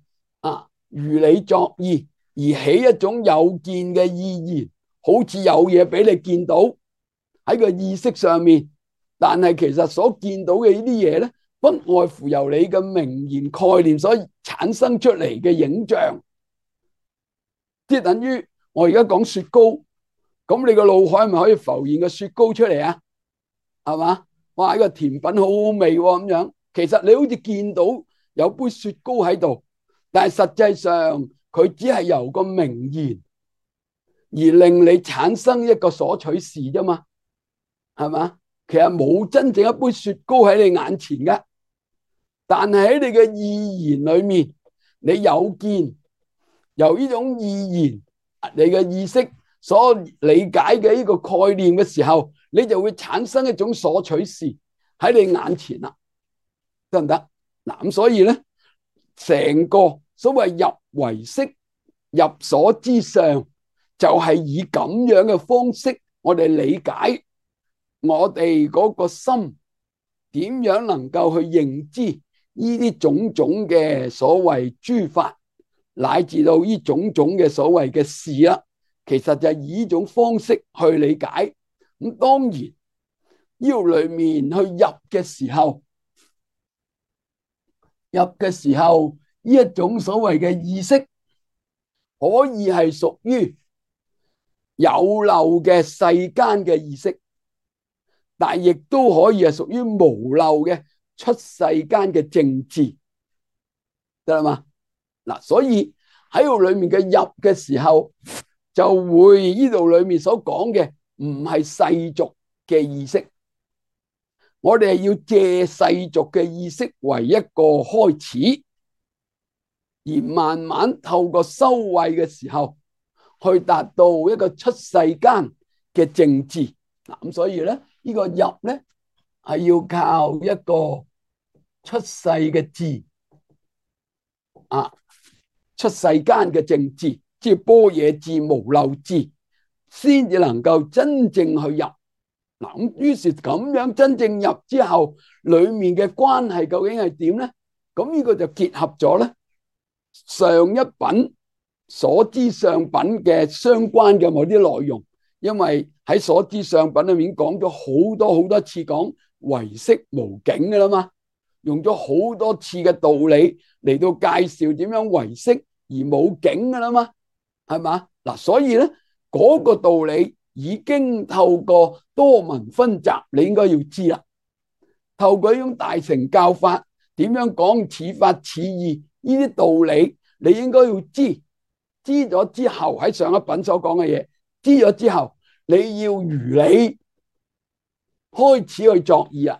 A: 如理作意，而起一種有見嘅意言，好似有嘢俾你見到喺個意識上面，但係其實所見到嘅呢啲嘢咧，不外乎由你嘅名言概念所產生出嚟嘅影像，即係等於我而家講雪糕，咁你個腦海係咪可以浮現個雪糕出嚟啊？係嘛？哇！呢個甜品好好味咁樣，其實你好似見到有杯雪糕喺度，但係實際上佢只係由個名言而令你產生一個所取事啫嘛，係嘛？其實冇真正一杯雪糕喺你眼前嘅，但係喺你嘅意言裏面，你有見由呢種意言，你嘅意識所理解嘅呢個概念嘅時候，你就會產生一種所取事喺你眼前啦，得唔得？嗱，咁所以咧，成個所謂入唯識、入所之上，就係以咁樣嘅方式，我哋理解我哋嗰個心點樣能夠去認知呢啲種種嘅所謂諸法，乃至到呢種種嘅所謂嘅事啦。其實就係以呢種方式去理解。咁當然，呢裏面去入嘅時候，呢一種所謂嘅意識，可以係屬於有漏嘅世間嘅意識，但亦都可以係屬於無漏嘅出世間嘅政治，得啦嘛？嗱，所以喺度裏面嘅入嘅時候，就會呢度裏面所講嘅唔係世俗嘅意識，我哋係要借世俗嘅意識為一個開始，而慢慢透過修慧嘅時候，去達到一個出世間嘅政治。咁所以咧，呢個入咧係要靠一個出世嘅智出世間嘅政治，即係般若智、無漏智，先至能夠真正去入。嗱，咁於是咁樣真正入之後，裏面嘅關係究竟係點咧？咁呢個就結合咗咧上一品所知上品嘅相關嘅某啲內容，因為喺所知上品裏面講咗好多好多次講唯識無境噶啦嘛，用咗好多次嘅道理嚟到介紹點樣唯識而冇境噶啦嘛，係嘛？嗱，所以咧嗰個道理已經透過多聞分集，你應該要知啦。透過呢種大乘教法，點樣講似法似義呢啲道理，你應該要知。知咗之後，喺上一品所講嘅嘢，知咗之後，你要如理開始去作意啊。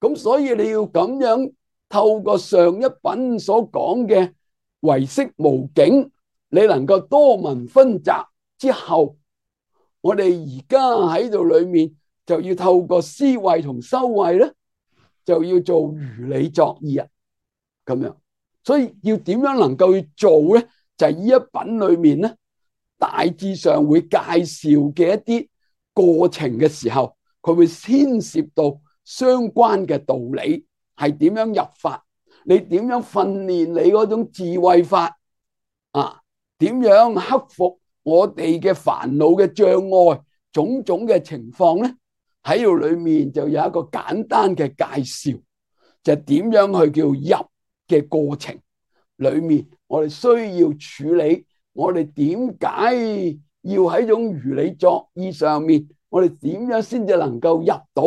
A: 咁所以你要咁樣透過上一品所講嘅唯識無境，你能夠多聞分集之後，我哋而家喺度裏面就要透過思慧同修慧咧，就要做如理作意啊。咁樣，所以要點樣能夠去做咧？就係呢一品裏面咧，大致上會介紹嘅一啲過程嘅時候，佢會牽涉到相關嘅道理係點樣入法，你點樣訓練你嗰種智慧法點樣克服我哋嘅煩惱嘅障礙，種種嘅情況咧，喺度裏面就有一個簡單嘅介紹，就係點樣去叫入嘅過程裏面。我哋需要處理，我哋點解要喺種如理作意上面，我哋點樣先至能夠入到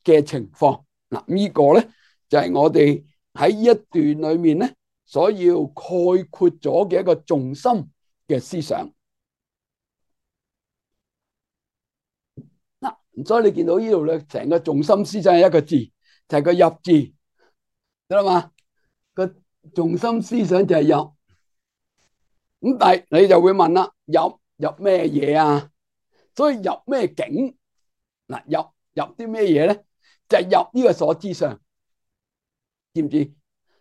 A: 嘅情況？嗱，呢個咧就係我哋喺呢一段裏面咧所要概括咗嘅一個重心嘅思想。嗱，所以你見到呢度咧，成個重心思想係一個字，就係個入字，得啦嘛？個重心思想就係入。咁但係你就會問啦，入咩嘢啊？所以入咩境？嗱，入啲咩嘢咧？就係入呢個所知上，知唔知？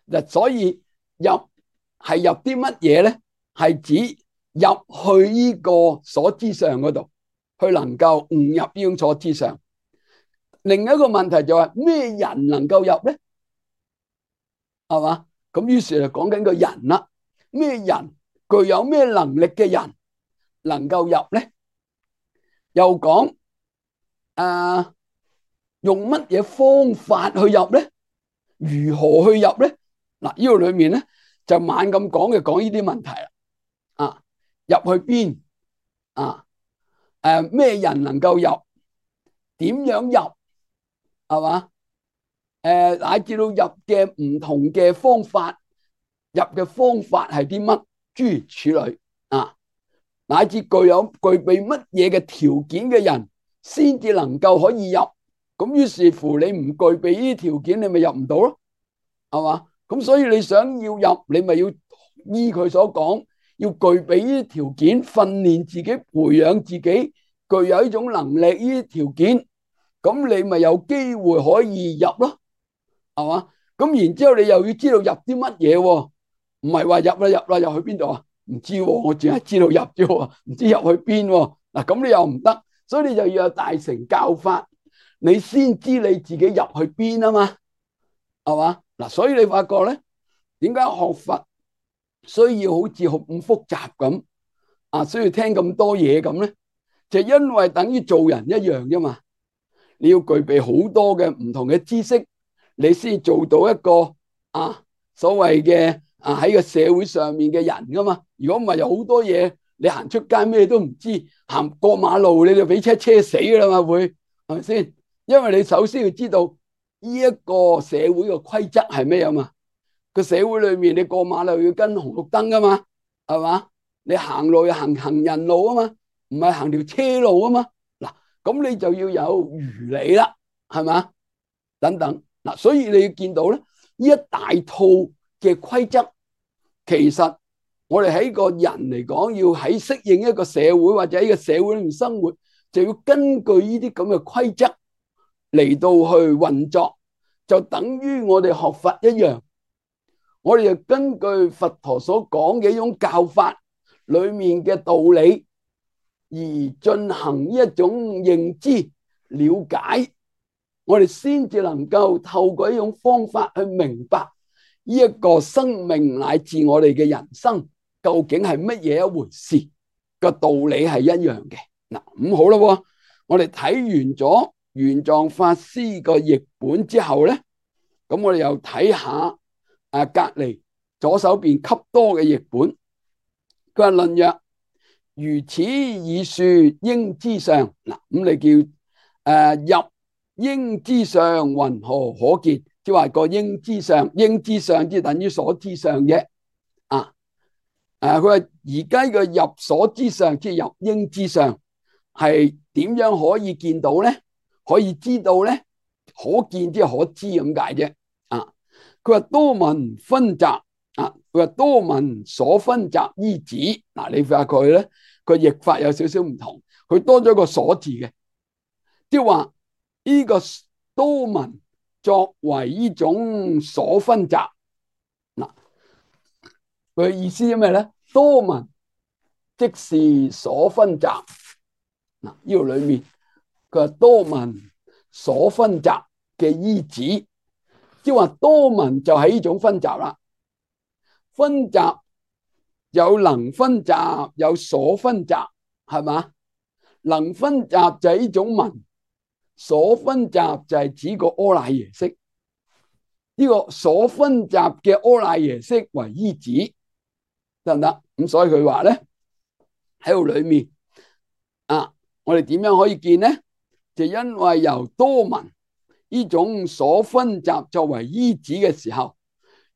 A: 嗱，所以入係入啲乜嘢咧？係指入去呢個所知上嗰度，去能夠悟入呢種所知上。另一個問題就係咩人能夠入咧？係嘛？咁於是就講緊個人啦。咩人具有咩能力嘅人能夠入咧？又講用乜嘢方法去入咧？如何去入咧？嗱，呢度裏面咧就猛咁講嘅，講呢啲問題啦。入去邊？咩人能夠入？點樣入？係嘛？乃至到入嘅唔同嘅方法，入嘅方法係啲乜？諸如此類乃至具備乜嘢嘅條件嘅人，先至能夠可以入。咁於是乎，你唔具備呢啲條件，你咪入唔到咯，係嘛？咁所以你想要入，你咪要依佢所講，要具備呢啲條件，訓練自己，培養自己，具有呢種能力，呢啲條件，咁你咪有機會可以入咯，係嘛？咁然之後你又要知道入啲乜嘢，唔係話入去邊度啊？唔知，我淨係知道入啫，唔知入去邊。嗱，咁你又唔得，所以你就要有大乘教法，你先知你自己入去邊啊嘛，係嘛？嗱，所以你發覺咧，點解學佛需要好似咁複雜咁需要聽咁多嘢咁咧？就因為等於做人一樣啫嘛，你要具備好多嘅唔同嘅知識，你先做到一個所謂嘅喺個社會上面嘅人噶嘛。如果唔係，有好多嘢你行出街咩都唔知，行過馬路你就俾車死噶啦嘛，會係咪先？因為你首先要知道呢一個社會嘅規則係咩啊嘛。個社會裏面你過馬路要跟紅綠燈噶嘛，係嘛？你行路要行人路啊嘛，唔係行條車路啊嘛。嗱，咁你就要有如理啦，係嘛？等等嗱，所以你要見到咧，呢一大套嘅規則，其實我哋喺個人嚟講，要喺適應一個社會或者喺個社會裏面生活，就要根據呢啲咁嘅規則嚟到去運作，就等於我哋學佛一樣。我哋就根據佛陀所講嘅一種教法裏面嘅道理而進行一種認知了解，我哋先至能夠透過一種方法去明白呢一個生命乃至我哋嘅人生究竟係乜嘢一回事，個道理係一樣嘅。嗱，咁好啦，我哋睇完咗玄奘法師個譯本之後咧，咁我哋又睇下隔籬左手邊笈多嘅譯本。佢話論曰：如此已說應知相。嗱，咁你叫入應知相，云何可見？即係話個應知相，應知相即係等於所知相啫。佢話而家個入所知相，即係入應知相，係點樣可以見到咧？可以知道咧？可見即係可知咁解啫。佢話多聞分集佢話多聞所分集依止。嗱，你發覺佢咧，個譯法有少少唔同，佢多咗個所字嘅，即係話呢個多聞作為呢種所分集。嗱，佢嘅意思係咩咧？多聞即是所分集。嗱，呢度裏面佢話多聞所分集嘅依止。即係話多聞就係呢種分集啦，分集有能分集，有所分集，係嘛？能分集就係呢種聞，所分集就係指個阿賴耶識。呢個所分集嘅阿賴耶識為依止，得唔得？咁所以佢話咧喺度裏面啊，我哋點樣可以見呢？就因為由多聞呢種所分集作為依止嘅時候，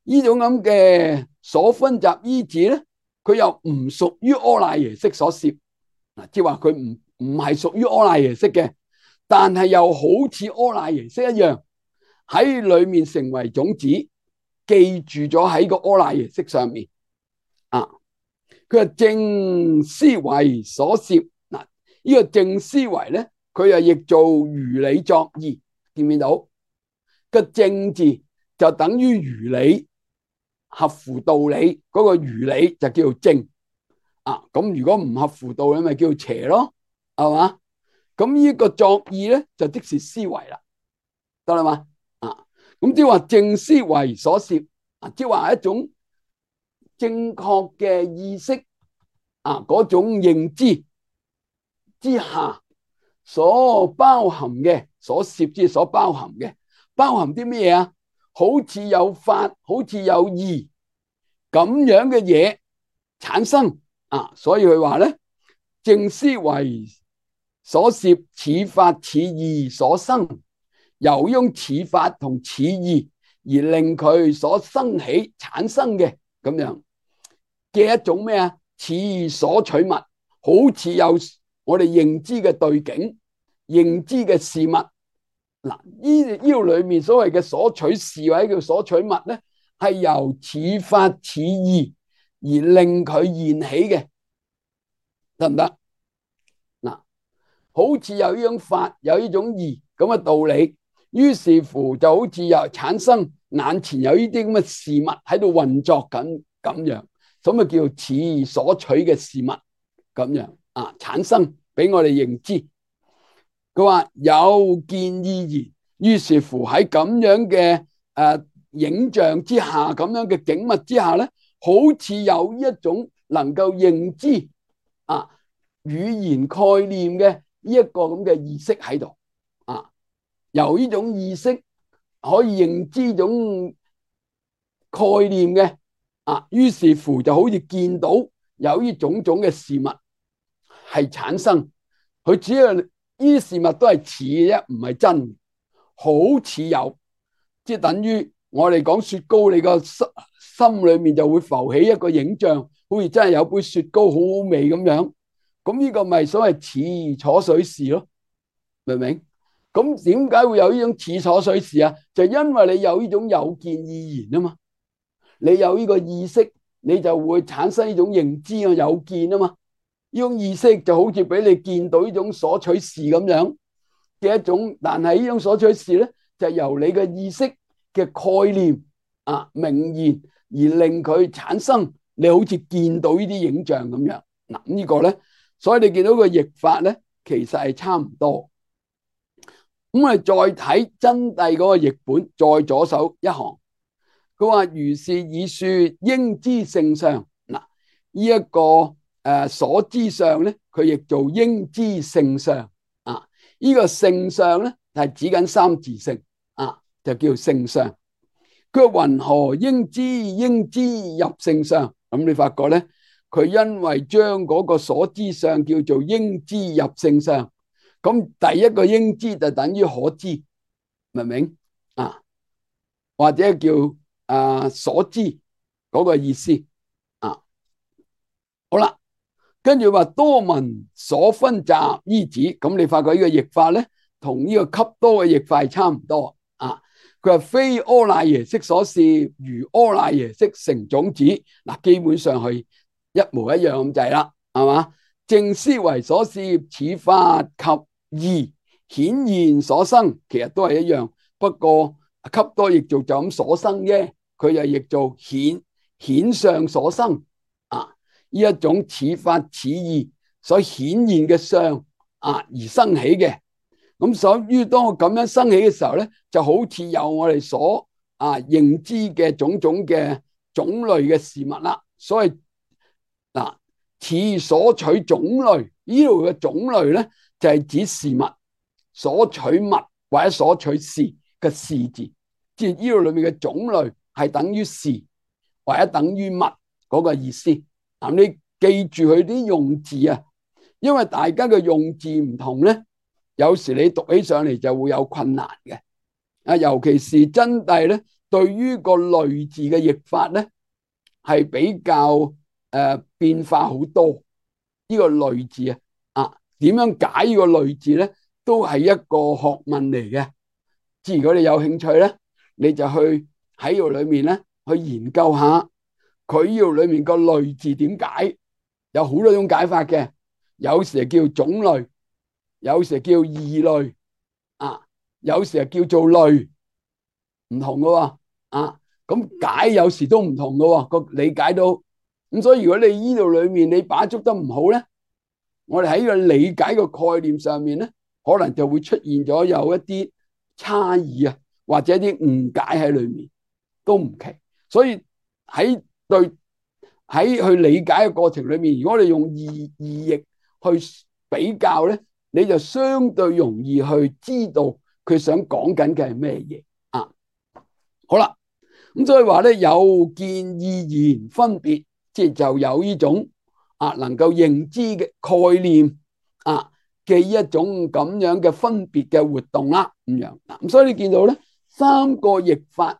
A: 呢種咁嘅所分集依止咧，佢又唔屬於阿賴耶識所攝，即係話佢唔係屬於阿賴耶識嘅，但係又好似阿賴耶識一樣喺裏面成為種子，記住咗喺個阿賴耶識上面啊。佢係正思維所攝嗱，呢個正思維咧，佢又譯做如理作意，見唔見到個正字就等於如理，合乎道理嗰個如理就叫做正啊。咁如果唔合乎道理，咪叫做邪咯，係嘛？咁呢個作意咧就即是思維啦，得啦嘛啊。咁即係話正思維所攝啊，即係話一種正確嘅意識啊，嗰種認知之下所包含嘅，所攝之所包含嘅，包含啲咩嘢啊？好似有法，好似有義咁樣嘅嘢產生啊。所以佢話咧，正思維所攝，此法此義所生，由用此法同此義而令佢所生起產生嘅咁樣嘅一種咩啊？此義所取物，好似有我哋認知嘅對境、認知嘅事物。嗱，呢度裏面所謂嘅所取事或者叫所取物咧，係由此法此義而令佢現起嘅，得唔得？嗱，好似有呢種法，有呢種義咁嘅道理，於是乎就好似又產生眼前有呢啲咁嘅事物喺度運作緊咁樣，咁咪叫此義所取嘅事物咁樣啊，產生俾我哋認知。佢話有見意言，於是乎喺咁樣嘅影像之下，咁樣嘅景物之下咧，好似有一種能夠認知啊語言概念嘅呢一個咁嘅意識喺度啊，由呢種意識可以認知種概念嘅啊，於是乎就好似見到有呢種種嘅事物係產生，佢只係。呢啲事物都係似嘅啫，唔係真，好似有，即係等於我哋講雪糕，你個心裏面就會浮起一個影像，好似真係有杯雪糕好好味咁樣。咁呢個咪所謂似楚水事咯，明唔明？咁點解會有呢種似楚水事啊？就因為你有呢種有見意言啊嘛，你有呢個意識，你就會產生呢種認知啊，有見啊嘛。呢種意識就好似俾你見到呢種所取事咁樣嘅一種，但係呢種所取事咧，就由你嘅意識嘅概念啊名言而令佢產生，你好似見到呢啲影像咁樣。嗱，呢個咧，所以你見到個譯法咧，其實係差唔多。咁我哋再睇真諦嗰個譯本，再左手一行，佢話如是以說應知性相。嗱，呢一個。所知相咧，佢亦做應知性相啊。呢個性相咧係指緊三自性啊，就叫性相。佢話云何應知入性相？咁你發覺咧，佢因為將嗰個所知相叫做應知入性相，咁第一個應知就等於可知，明唔明啊？或者叫所知嗰個意思啊。好啦。跟住話多聞所分集依止，咁你發覺呢個譯法咧，同呢個笈多嘅譯法係差唔多啊。佢話非阿賴耶識所攝，如阿賴耶識成種子，嗱，基本上係一模一樣咁滯啦，係嘛？正思維所攝，此法及義顯現所生，其實都係一樣，不過笈多譯做就咁所生啫，佢就譯做顯相所生。呢一種此法此義所顯現嘅相啊而生起嘅，咁所以當我咁樣生起嘅時候咧，就好似有我哋所認知嘅種種嘅種類嘅事物啦。所以嗱，此所取種類，呢度嘅種類咧就係指事物，所取物或者所取事嘅事字，即係呢度裏面嘅種類係等於事或者等於物嗰個意思。你記住佢啲用字啊，因為大家嘅用字唔同咧，有時你讀起上嚟就會有困難嘅。尤其是真諦咧，對於個類字嘅譯法咧，係比較變化好多。呢個類字點樣解呢個類字咧，都係一個學問嚟嘅。即係如果你有興趣咧，你就去喺度裏面咧去研究下佢呢度裏面個類字點解，有好多種解法嘅。有時係叫種類，有時係叫異類，有時係叫做類，唔同嘅喎。咁解有時都唔同嘅喎，個理解都咁。所以如果你呢度裏面你把捉得唔好咧，我哋喺呢個理解個概念上面咧，可能就會出現咗有一啲差異啊，或者啲誤解喺裏面都唔奇。所以喺去理解嘅過程裏面，如果你用異譯去比較咧，你就相對容易去知道佢想講緊嘅係咩嘢。好啦，咁所以話咧，有見意言分別，即係就有呢種能夠認知嘅概念嘅一種咁樣嘅分別嘅活動啦，咁樣。咁所以你見到咧，三個譯法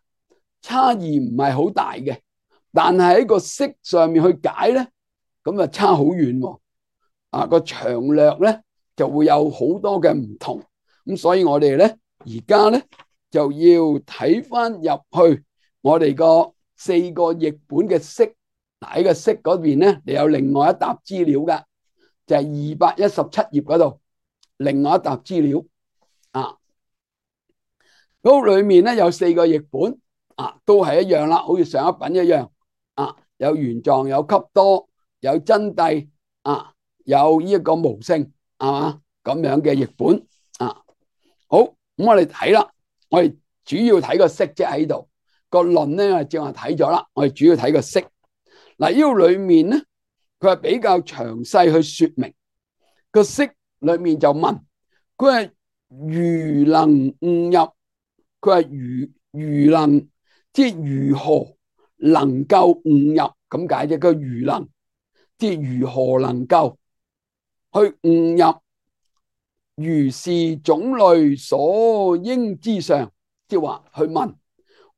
A: 差異唔係好大嘅，但係喺個識上面去解咧，咁啊差好遠喎。個長略咧就會有好多嘅唔同。咁所以我哋咧而家咧就要睇翻入去我哋個4個譯本嘅識。喺個識嗰邊咧，你有另外一沓資料噶，就係217頁嗰度，另外一沓資料嗰裏面咧有4個譯本都係一樣啦，好似上一品一樣有原狀，有笈多，有真諦有呢一個無性，係嘛咁樣嘅譯本好，咁我哋睇啦，我哋主要睇個識啫，喺度個論咧，我哋正話睇咗啦，我哋主要睇個識。嗱，呢個裏面咧，佢係比較詳細去說明個識裏面就問佢係如能悟入，佢係如能，即係如何能夠悟入咁解啫。佢如能，即係如何能夠去悟入如是種類所應之上，即係話去問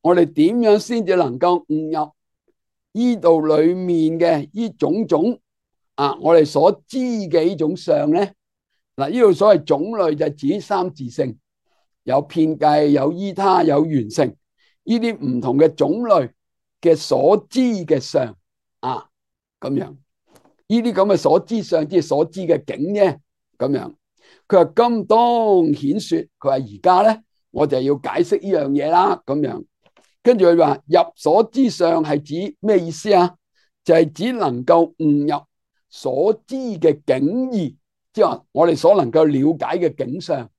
A: 我哋點樣先至能夠悟入呢度裏面嘅呢種種我哋所知嘅呢種相咧。嗱，呢度所謂種類就指三自性，有遍計，有依他，有緣成，呢啲唔同嘅種類嘅所知嘅相咁樣，呢啲咁嘅所知相，即係所知嘅境啫。咁樣，佢話今當顯說，佢話而家咧，我就要解釋呢樣嘢啦。咁樣。跟住佢話入所知相係指咩意思啊？就係指能夠悟入所知嘅境義，即係話我哋所能夠了解嘅境相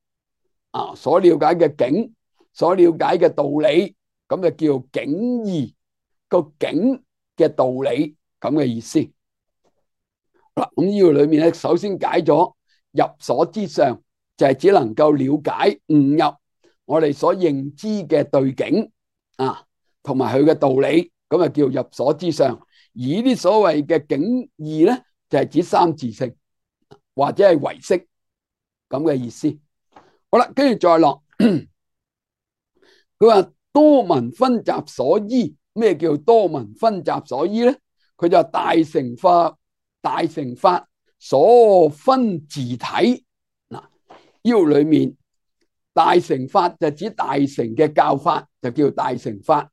A: 所了解嘅境，所了解嘅道理，咁就叫境義，個境嘅道理咁嘅意思。嗱，咁呢個裏面咧，首先解咗入所知相，就係指能夠了解悟入我哋所認知嘅對境同埋佢嘅道理，咁啊叫入所知相。而呢啲所謂嘅境義咧，就係指三自性或者係唯識咁嘅意思。好啦，跟住再落，佢話多聞分集所依。咩叫多聞分集所依咧？佢就大乘法所分自體。嗱，呢度裏面大乘法就指大乘嘅教法，就叫大乘法。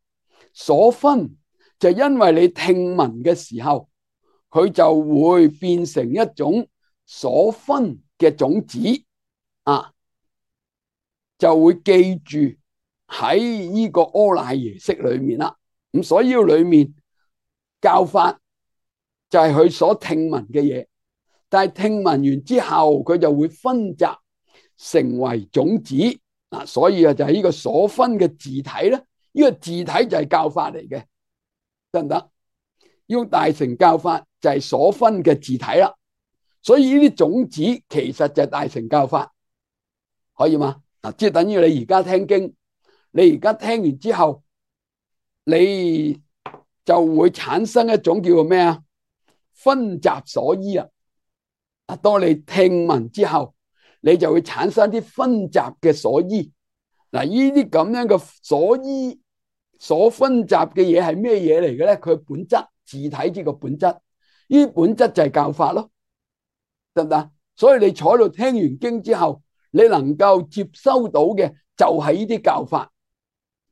A: 所分就因為你聽聞嘅時候，佢就會變成一種所分嘅種子就會記住喺呢個阿賴耶識裏面啦。咁所以裏面教法就係佢所聽聞嘅嘢，但係聽聞完之後，佢就會分集成為種子所以就係呢個所分嘅自體咧。呢個自體就係教法嚟嘅，得唔得？用大乘教法就係所分嘅自體啦。所以呢啲種子其實就係大乘教法，可以嗎？即係等於你而家聽經，你而家聽完之後，你就會產生一種叫做咩分集所依嗱，當你聽聞之後，你就會產生啲分集嘅所依。嗱，呢啲咁樣嘅所依所分集嘅嘢係咩嘢嚟嘅咧？佢本質自體呢個本質，呢啲本質就係教法咯，得唔得？所以你坐喺度聽完經之後，你能夠接收到嘅就係呢啲教法，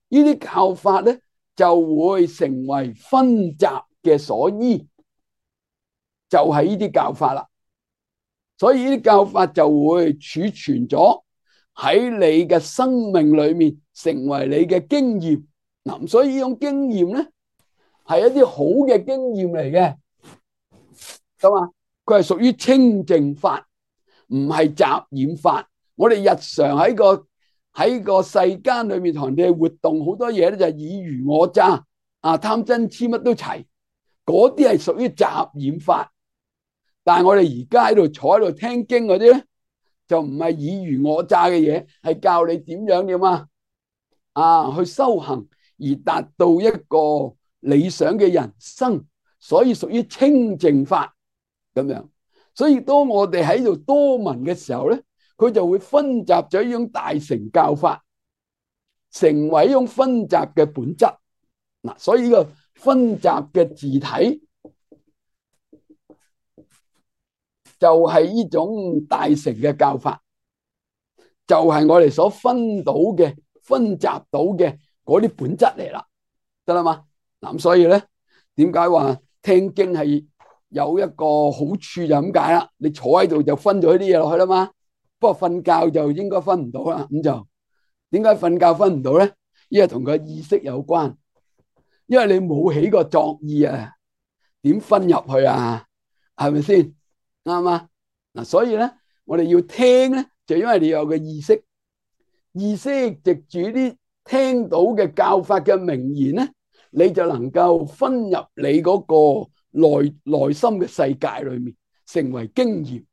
A: 呢啲教法咧就會成為分集嘅所依，就係呢啲教法啦。所以呢啲教法就會儲存咗喺你嘅生命裏面，成為你嘅經驗。嗱，所以呢種經驗咧係一啲好嘅經驗嚟嘅，咁啊，佢係屬於清淨法，唔係雜染法。我哋日常喺個世間裏面同人哋活動好多嘢咧，就係爾虞我詐啊，貪嗔痴乜都齊，嗰啲係屬於雜染法。但係我哋而家喺度坐喺度聽經嗰啲咧，就唔係爾虞我詐嘅嘢，係教你點樣去修行而達到一個理想嘅人生，所以屬於清淨法咁樣。所以當我哋喺度多聞嘅時候咧，佢就會分集咗呢種大乘教法，成為一種分集嘅本質。嗱，所以呢個分集嘅自體就係呢種大乘嘅教法，就係我哋所分到嘅、分集到嘅嗰啲本質嚟啦，得啦嘛？嗱，所以咧，點解話聽經係有一個好處就咁解啦？你坐喺度就分咗啲嘢落去啦嘛。不過瞓覺就應該分唔到啦。咁就點解瞓覺分唔到咧？因為同個意識有關，因為你冇起過作意啊，點分入去啊？係咪先？啱嘛？嗱，所以咧，我哋要聽咧，就因為你有個意識，意識藉住啲聽到嘅教法嘅名言咧，你就能夠分入你嗰個內心嘅世界裏面，成為經驗。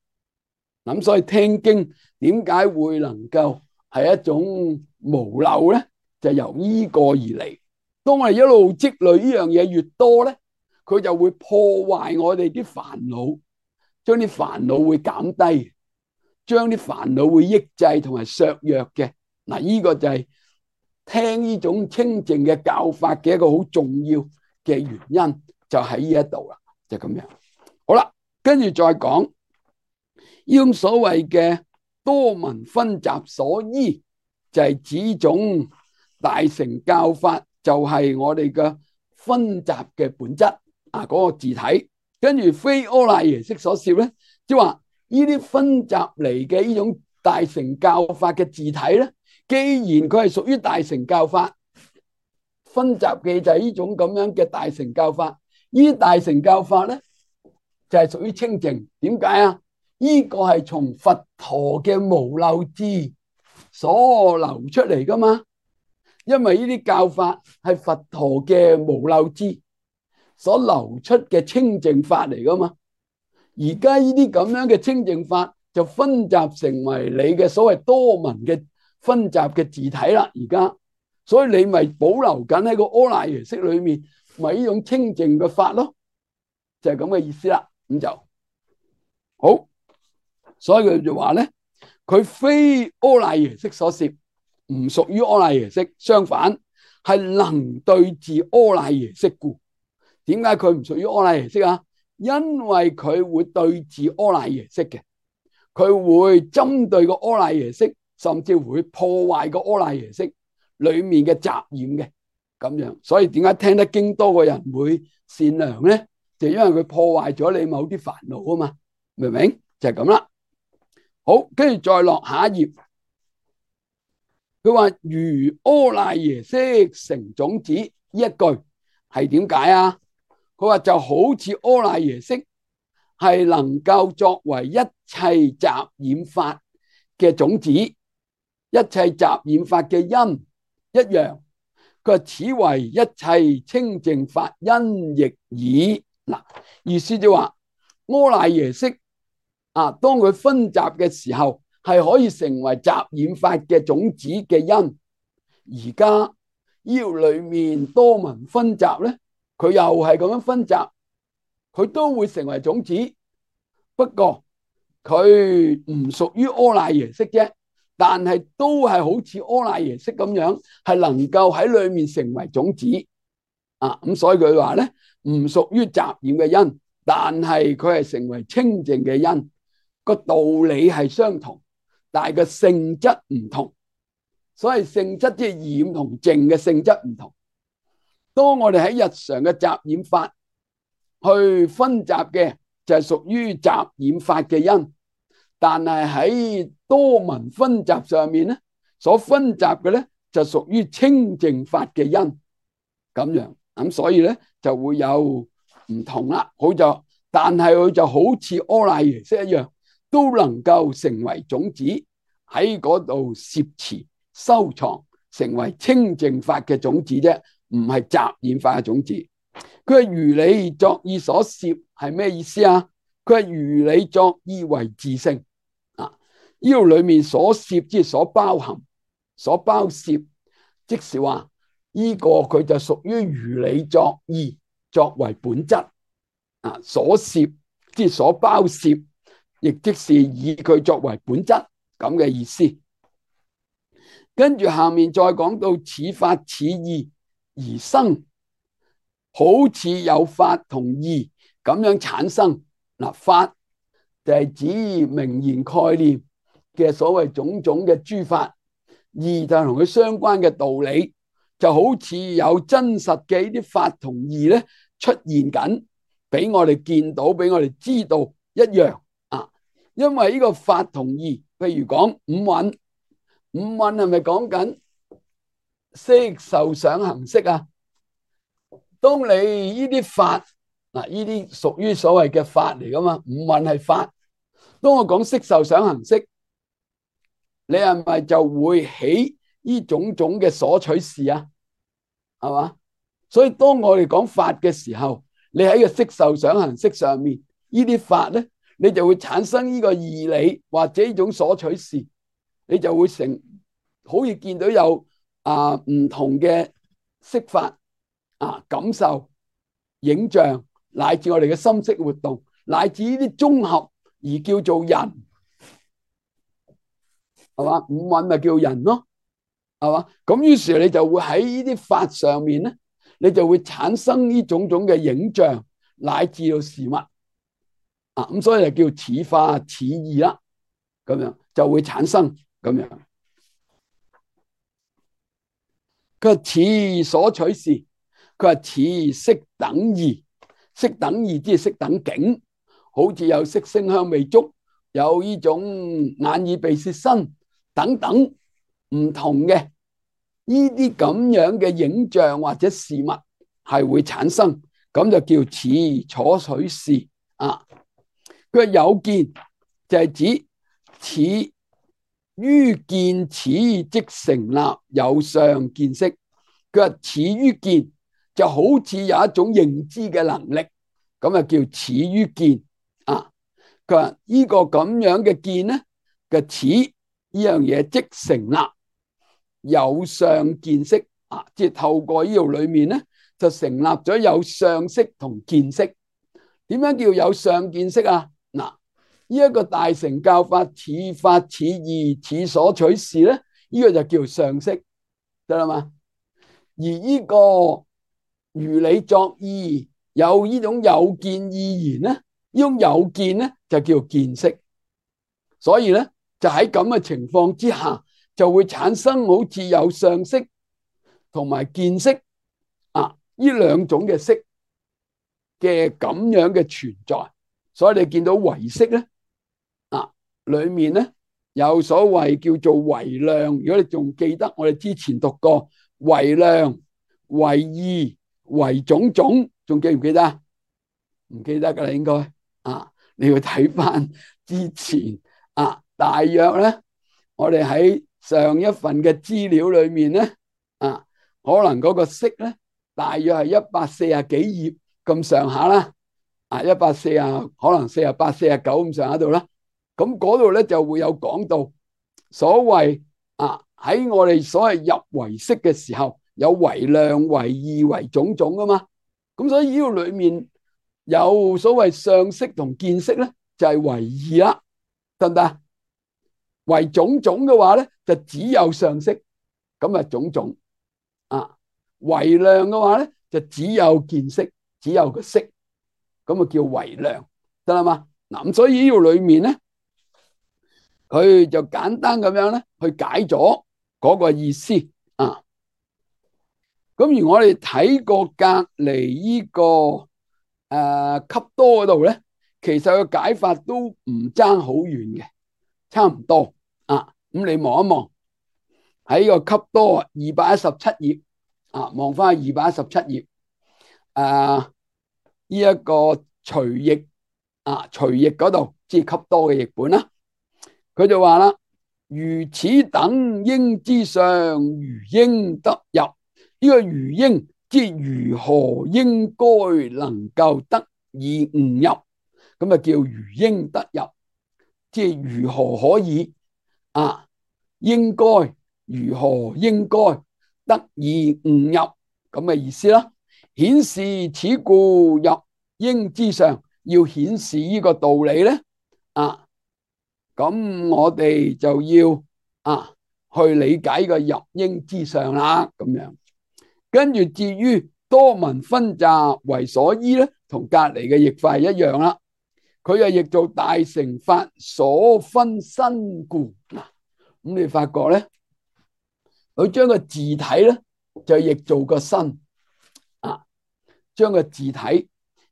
A: 咁所以聽經點解會能夠係一種無漏咧？就由呢個而嚟。當我哋一路積累呢樣嘢越多咧，佢就會破壞我哋啲煩惱，將啲煩惱會減低，將啲煩惱會抑制同埋削弱嘅。嗱，呢個就係聽呢種清淨嘅教法嘅一個好重要嘅原因，就喺呢一度啦，就咁樣。好啦，跟住再講呢種所謂嘅多聞分集所依，就係指種大乘教法，就係我哋嘅分集嘅本質啊，嗰個自體。跟住非阿賴耶識所攝咧，即係話呢啲分集嚟嘅呢種大乘教法嘅自體咧，既然佢係屬於大乘教法，分集嘅就係呢種咁樣嘅大乘教法。呢啲大乘教法咧就係屬於清淨。點解啊？呢個係從佛陀嘅無漏智所流出嚟噶嘛，因為呢啲教法係佛陀嘅無漏智所流出嘅清淨法嚟噶嘛。而家呢啲咁樣嘅清淨法就分集成為你嘅所謂多聞嘅分集嘅自體啦。而家所以你咪保留緊喺個阿賴耶識裏面，咪呢種清淨嘅法咯，就係咁嘅意思啦。咁就好，所以佢就話咧，佢非阿賴耶識所攝，唔屬於阿賴耶識，相反係能對治阿賴耶識故。點解佢唔屬於阿賴耶識啊？因為佢會對治阿賴耶識嘅，佢會針對個阿賴耶識，甚至會破壞個阿賴耶識裏面嘅雜染嘅咁樣。所以點解聽得經多個人會善良咧？就因為佢破壞咗你某啲煩惱啊嘛，明唔明？就係咁啦。好，跟住再落下一頁，佢話如阿賴耶識成種子，呢一句係點解啊？佢話就好似阿賴耶識係能夠作為一切雜染法嘅種子，一切雜染法嘅因一樣。佢話此為一切清淨法因亦爾。嗱，意思就話阿賴耶識啊，當佢分集嘅時候係可以成為雜染法嘅種子嘅因。而家呢度裏面多聞分集咧，佢又係咁樣分集，佢都會成為種子。不過佢唔屬於柯乃耶識啫，但係都係好似柯乃耶識咁樣，係能夠喺裏面成為種子啊。咁所以佢話咧，唔屬於雜染嘅因，但係佢係成為清淨嘅因。個道理係相同，但係個性質唔同。所以性質即係染同淨嘅性質唔同。當我哋喺日常嘅雜染法去分集嘅，就係屬於雜染法嘅因，但係喺多聞分集上面咧，所分集嘅咧就屬於清淨法嘅因，咁樣咁所以咧就會有唔同啦。好就，但係佢就好似柯乃耶識一樣，都能夠成為種子喺嗰度攝持收藏，成為清淨法嘅種子啫，唔係雜染法嘅種子。佢係如理作意所攝係咩意思啊？佢係如理作意為自性啊！呢度裏面所攝即係所包含、所包攝，即是話呢個佢就屬於如理作意作為本質啊！所攝即係所包攝，亦即是以佢作為本質咁嘅意思。跟住下面再講到此法此義而生，好似有法同義咁樣產生。嗱，法就係指名言概念嘅所謂種種嘅諸法，義就係同佢相關嘅道理，就好似有真實嘅呢啲法同義咧出現緊，俾我哋見到，俾我哋知道一樣啊。因為呢個法同義，譬如講五蘊，五蘊係咪講緊色受想行識啊？當你呢啲法嗱，呢啲屬於所謂嘅法嚟噶嘛，五蘊係法。當我講色受想行識，你係咪就會起呢種種嘅所取事啊？係嘛？所以當我哋講法嘅時候，你喺個色受想行識上面呢啲法咧，你就會產生呢個義理或者呢種所取事，你就會可以見到有唔同嘅色法啊，感受、影像，乃至我哋嘅心識活動，乃至呢啲綜合而叫做人，係嘛？五蘊咪叫人咯，係嘛？咁於是你就會喺呢啲法上面咧，你就會產生呢種種嘅影像，乃至到事物啊，咁所以就叫此法此義啦，咁樣就會產生咁樣。佢話此所取事，佢話此色等義，色等義即係色等境，好似有色聲香味觸，有呢種眼耳鼻舌身等等唔同嘅呢啲咁樣嘅影像或者事物係會產生，咁就叫此所取事啊。佢話有見就係指此於見此即成立有相見識。佢話此於見就好似有一種認知嘅能力，咁啊叫此於見啊。佢話呢個咁樣嘅見咧嘅此呢樣嘢即成立有相見識啊，即係透過呢度裏面咧就成立咗有相識同見識。點樣叫有相見識啊？嗱，呢一個大乘教法此法此義此所取事咧，呢個就叫相識，得啦嘛。而呢個如理作意有呢種有見意言咧，呢種有見咧就叫見識。所以咧就喺咁嘅情況之下，就會產生好似有相識同埋見識啊呢兩種嘅識嘅咁樣嘅存在。所以你見到唯識咧啊，裏面咧有所謂叫做唯量。如果你仲記得我哋之前讀過唯量、唯義、唯種種，仲記唔記得？唔記得噶啦，應該啊，你要睇翻之前啊。大約咧，我哋喺上一份嘅資料裏面咧啊，可能嗰個識咧，大約係140幾頁咁上下啦。啊，140可能48、49咁上下度啦。咁嗰度咧就會有講到所謂啊，喺我哋所謂入唯識嘅時候，有唯量、唯義、唯種種噶嘛。咁所以呢個裏面有所謂相識同見識咧，就係唯義啦。得唔得？為種種嘅話咧，就只有上色，咁啊種種啊。為量嘅話咧，就只有見色，只有個色，咁啊叫為量，得啦嘛。嗱咁所以呢個裏面咧，佢就簡單咁樣咧去解咗嗰個意思啊。咁而我哋睇過隔籬呢個笈多嗰度咧，其實個解法都唔爭好遠嘅，差唔多啊。咁你望一望喺個笈多217頁啊，望翻去217頁呢一個隨譯啊，隨譯嗰度即係笈多嘅譯本啦。佢就話啦：如此等應之上，如應得入。呢個如應即如何應該能夠得以悟入，咁啊叫如應得入，即係如何可以應該如何應該得以悟入咁嘅意思啦。顯示此故入應之上，要顯示呢個道理咧咁我哋就要去理解個入應之上啦，咁樣。跟住至於多聞分集為所依咧，同隔籬嘅譯法一樣啦。佢又譯做大乘法所分身故。咁你發覺咧，佢將個字體咧就譯做個身將個字體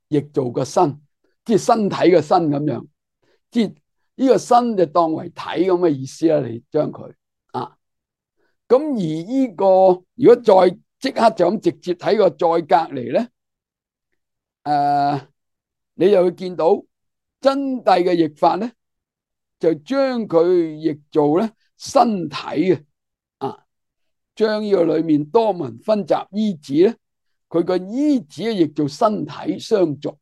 A: 譯做個身，即係身體嘅身咁樣，即係呢個身就當為體咁嘅意思啦。你將佢咁而呢個如果再即刻就咁直接睇個再隔離咧，你就會見到真諦嘅譯法咧，就將佢譯做咧身體嘅將呢個裏面多聞分集依止咧，佢個依止譯做身體相續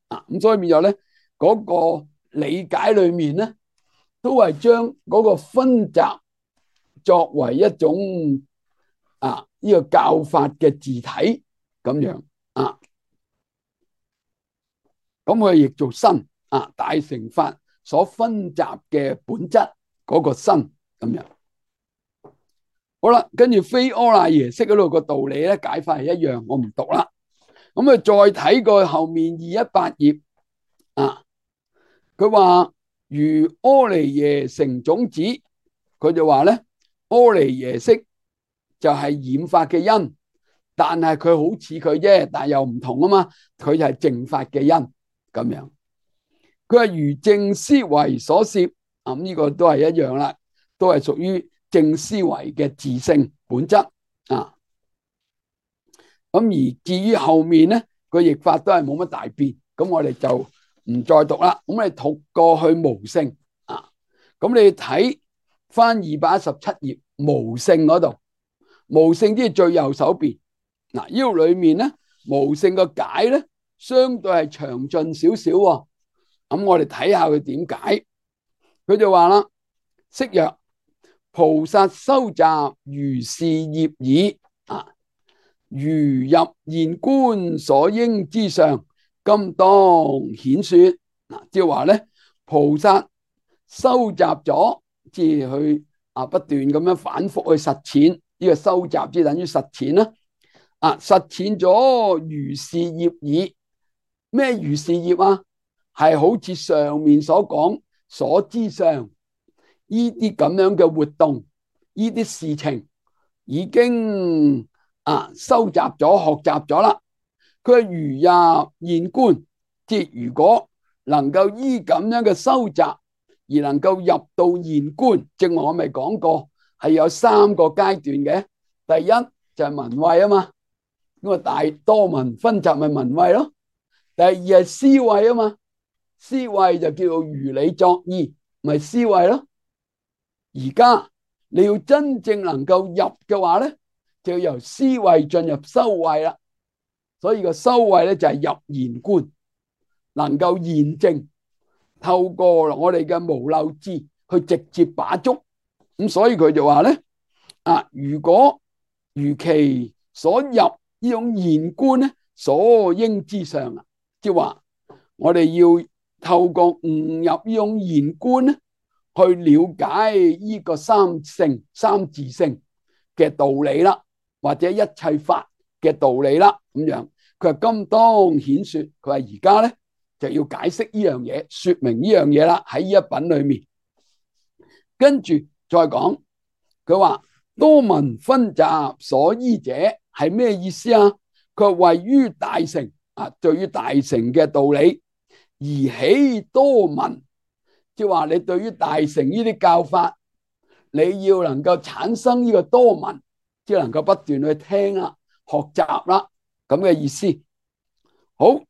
A: 咁所以變咗咧嗰個理解裏面咧，都係將嗰個分集作為一種呢個教法嘅字體咁樣咁佢譯做身大乘法所分集嘅本質嗰個身咁樣。好啦，跟住非阿賴耶識嗰度個道理咧解法係一樣，我唔讀啦。咁再睇過後面218頁佢話如阿賴耶成種子，佢就話咧阿賴耶識就係染法嘅因，但係佢好似佢啫，但係又唔同啊嘛，佢就係淨法嘅因咁樣。佢係如正思維所攝，呢個都係一樣啦，都係屬於正思維嘅自性本質咁而至於後面咧個譯法都係冇乜大變，咁我哋就唔再讀啦。咁你讀過去無性咁你睇翻217頁無性嗰度，無性即係最右手邊呢度裏面咧無性個解咧相對係詳盡少少喎。咁我哋睇下佢點解，佢就話啦：釋曰，菩薩修集如是業已如入現觀所應之上，今當顯說即係話咧，菩薩收集咗，即係去不斷咁樣反覆去實踐呢個收集，即係等於實踐啦實踐咗如是業已。咩如是業係好似上面所講所知上呢啲咁樣嘅活動，呢啲事情已經收集咗、學習咗啦。佢係如入現觀，即係如果能夠依咁樣嘅收集而能夠入到現觀，正我咪講過係有3個階段嘅。第一就係聞慧嘛，咁大多聞分集咪聞慧咯。第二係思慧嘛，思慧就叫做如理作意，咪思慧咯。而家你要真正能夠入嘅話咧，就要由思慧進入修慧啦。所以個修慧咧就係入現觀，能夠驗證，透過我哋嘅無漏智去直接把捉。咁所以佢就話咧如果如其所入呢種現觀咧，所應之上即係話我哋要透過悟入呢種現觀咧，去了解呢個三性、三自性嘅道理啦，或者一切法嘅道理啦，咁樣佢話今當顯說，佢話而家咧就要解釋呢樣嘢，說明呢樣嘢啦，喺呢一品裏面。跟住再講，佢話多聞分集所依者係咩意思啊？佢話位於大乘啊，對於大乘嘅道理而起多聞，即係話你對於大乘呢啲教法，你要能夠產生呢個多聞，即係能夠不斷去聽啦、學習啦，咁嘅意思。好，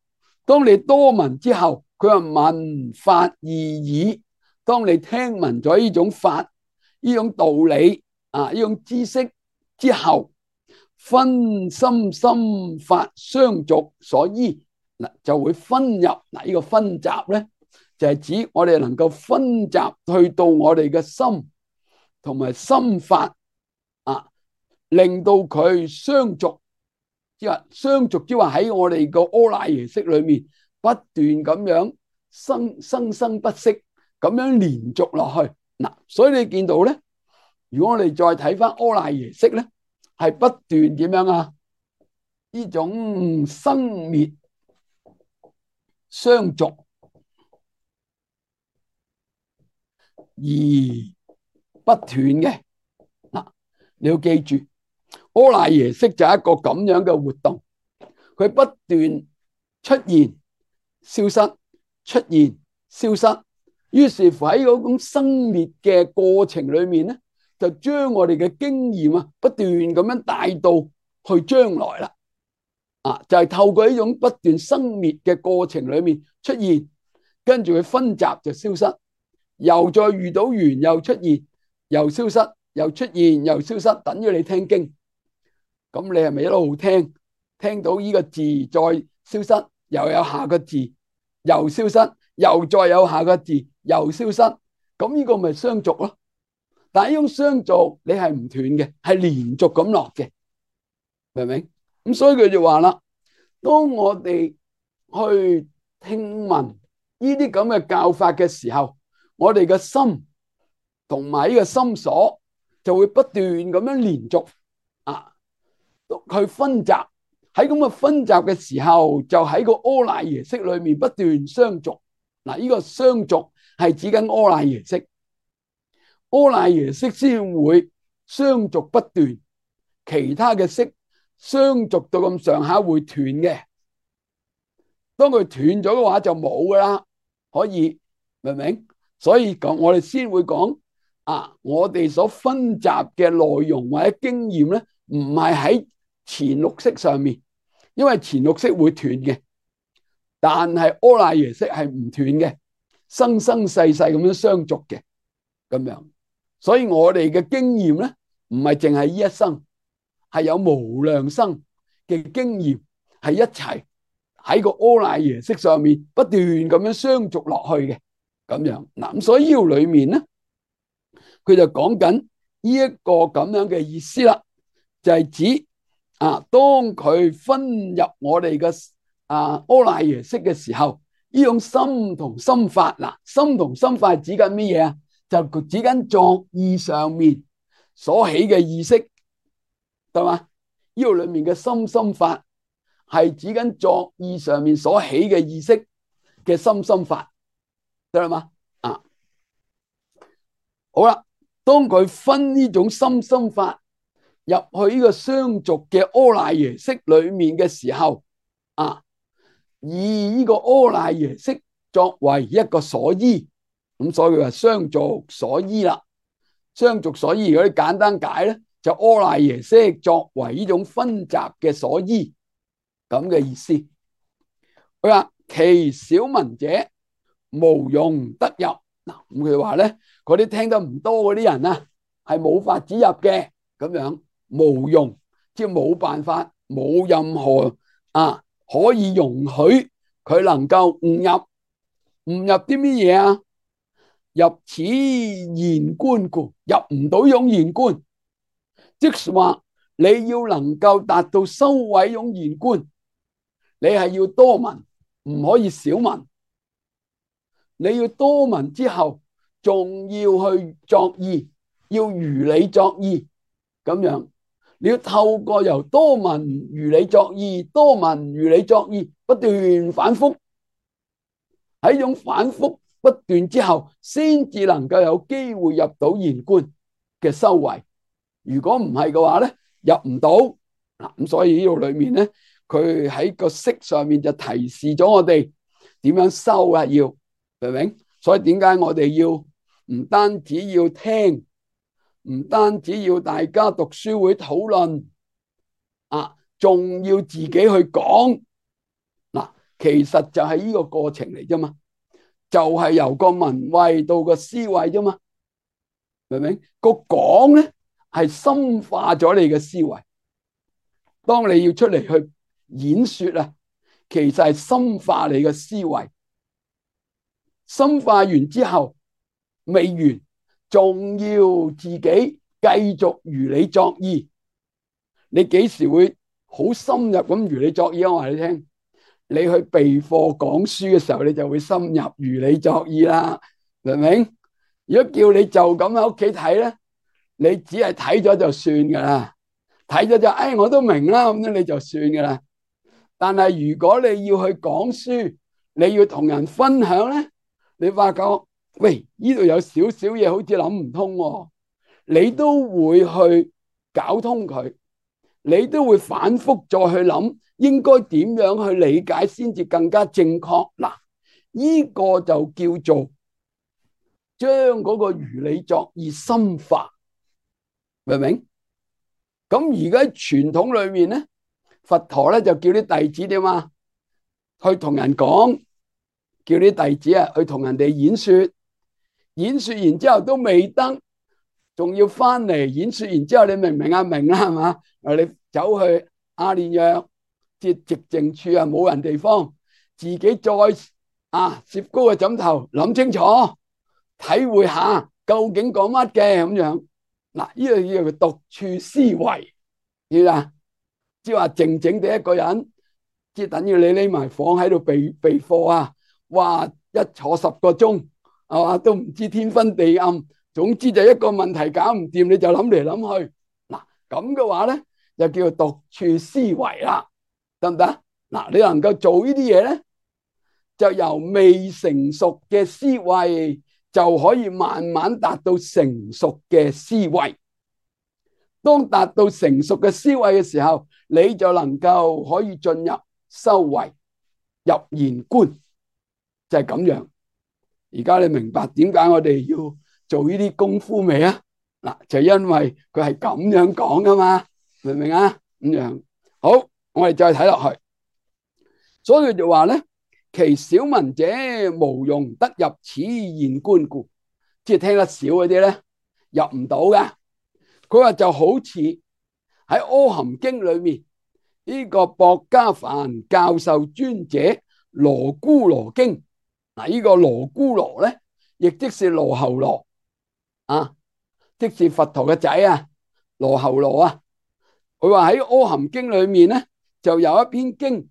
A: 當你多聞之後，佢話聞法義耳。當你聽聞咗呢種法、呢種道理啊、呢種知識之後，分心心法相續所依，嗱就會分入嗱呢個分集咧，就係指我哋能夠分集去到我哋嘅心同埋心法啊，令到佢相續，即係相續，即係話喺我哋個阿賴耶識裏面不斷咁樣生不息。咁樣連續落去嗱，所以你見到咧，如果我哋再睇翻阿賴耶識咧，係不斷點樣啊？呢種生滅相續而不斷嘅嗱，你要記住，阿賴耶識就係一個咁樣嘅活動，佢不斷出現、消失、出現、消失。於是乎喺嗰種生滅嘅過程裏面咧，就將我哋嘅經驗啊，不斷咁樣帶到去將來啦。啊，就係透過呢種不斷生滅嘅過程裏面出現，跟住佢分集就消失，又再遇到緣又出現，又消失，又出現又消失，等於你聽經。咁你係咪一路聽，聽到呢個字再消失，又有下個字又消失，又再有下個字又消失，咁呢個咪相續咯。但係呢種相續你係唔斷嘅，係連續咁落嘅，明唔明？咁所以佢就話啦，當我哋去聽聞呢啲咁嘅教法嘅時候，我哋嘅心同埋呢個心所就會不斷咁樣連續啊，去分集。喺咁嘅分集嘅時候，就喺個阿賴耶識裏面不斷相續。嗱，呢個相續係指緊阿賴耶識，阿賴耶識先會相續不斷，其他嘅識相續到咁上下會斷嘅。當佢斷咗嘅話就冇噶啦，可以明唔明？所以講我哋先會講啊，我哋所分集嘅內容或者經驗咧，唔係喺前六識上面，因為前六識會斷嘅。但係阿賴耶識係唔斷嘅，生生世世咁樣相續嘅，咁樣。所以我哋嘅經驗咧，唔係淨係呢一生，係有無量生嘅經驗，係一齊喺個阿賴耶識上面不斷咁樣相續落去嘅，咁樣。嗱，咁所以呢度裏面咧，佢就講緊呢一個咁樣嘅意思啦，就係指啊，當佢分入我哋嘅阿賴耶識嘅時候，呢種心同心法嗱，心同心法指緊乜嘢啊？就指緊作意上面所起嘅意識，對嘛？呢度裏面嘅心心法係指緊作意上面所起嘅意識嘅心心法，得啦嘛？啊，好啦，當佢分呢種心心法入去呢個相續嘅阿賴耶識裏面嘅時候，啊，以呢個阿賴耶識作為一個所依，咁所以佢話相續所依啦。相續所依如果你簡單解咧，就阿賴耶識作為呢種分集嘅所依，咁嘅意思。佢話其少聞者無容得入。嗱，咁佢話咧，嗰啲聽得唔多嗰啲人啊，係冇法子入嘅，咁樣無容，即係冇辦法，冇任何啊可以容許佢能夠誤入。誤入啲乜嘢啊？入此現觀故，入唔到用現觀，即係話你要能夠達到收位用現觀，你係要多聞，唔可以少聞。你要多聞之後，仲要去作意，要如理作意咁樣。你要透過由多聞如理作意，多聞如理作意，不斷反覆，喺種反覆不斷之後，先至能夠有機會入到現觀嘅修為。如果唔係嘅話咧，入唔到嗱。咁所以呢度裏面咧，佢喺個識上面就提示咗我哋點樣修啊，要明唔明？所以點解我哋要唔單止要聽，唔單止要大家讀書會討論啊，仲要自己去講嗱。其實就係呢個過程嚟啫嘛，就係由個聞慧到個思慧啫嘛，明唔明？個講咧係深化咗你嘅思維。當你要出嚟去演說啊，其實係深化你嘅思維。深化完之後未完，仲要自己繼續如理作意。你幾時會好深入咁如理作意啊？我話你聽，你去備課講書嘅時候，你就會深入如理作意啦，明唔明？如果叫你就咁喺屋企睇咧，你只係睇咗就算噶啦，睇咗就我都明啦，咁樣你就算噶啦。但係如果你要去講書，你要同人分享咧，你發覺喂，呢度有少少嘢好似諗唔通喎，你都會去搞通佢，你都會反覆再去諗應該點樣去理解先至更加正確。嗱，呢個就叫做將嗰個如理作意深化，明唔明？咁而家喺傳統裏面咧，佛陀咧就叫啲弟子點啊，去同人講，叫啲弟子啊去同人哋演說，演說完之後都未得，仲要翻嚟演說完之後，你明唔明啊？明啦，係嘛？你走去阿練若即係寂靜處啊，冇人地方，自己再攝高個枕頭諗清楚，體會下究竟講乜嘅咁樣。嗱，呢個叫做獨處思維，知啦？即係話靜靜地一個人，即係等於你匿埋房喺度備課啊！哇，一坐10個鐘，係嘛，都唔知天昏地暗。總之就一個問題搞唔掂，你就諗嚟諗去。嗱，咁嘅話咧，就叫做獨處思維啦，得唔得？嗱，你能夠做呢啲嘢咧，就由未成熟嘅思維就可以慢慢達到成熟嘅思維。當達到成熟嘅思維嘅時候，你就能夠可以進入修為，入現觀，就係咁樣。而家你明白點解我哋要做呢啲功夫未啊？嗱，就因為佢係咁樣講噶嘛，明唔明啊？咁樣好，我哋再睇落去。所以佢就話咧，其小聞者無容得入此現觀故，即係聽得少嗰啲咧，入唔到嘅。佢話就好似喺《阿含經》裏面呢個薄伽梵教授尊者羅姑羅經。嗱，呢個羅姑羅咧，亦即是羅睺羅啊，即是佛陀嘅仔啊，羅睺羅啊。佢話喺《阿含經》裏面咧，就有一篇經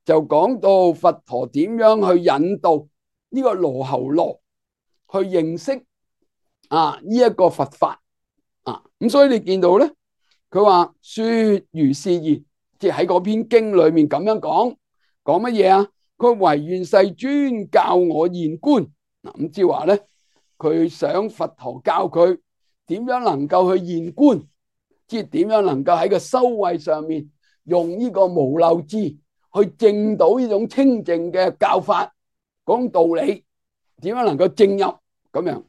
A: 就講到佛陀點樣去引導呢個羅睺羅去認識呢一個佛法啊。咁所以你見到咧，佢話說如是言，即係喺嗰篇經裏面咁樣講乜嘢啊？佢唯願世尊教我現觀。嗱，咁即係話咧，佢想佛陀教佢點樣能夠去現觀，即係點樣能夠喺個修慧上面用呢個無漏智去證到呢種清淨嘅教法，講道理，點樣能夠證入咁樣。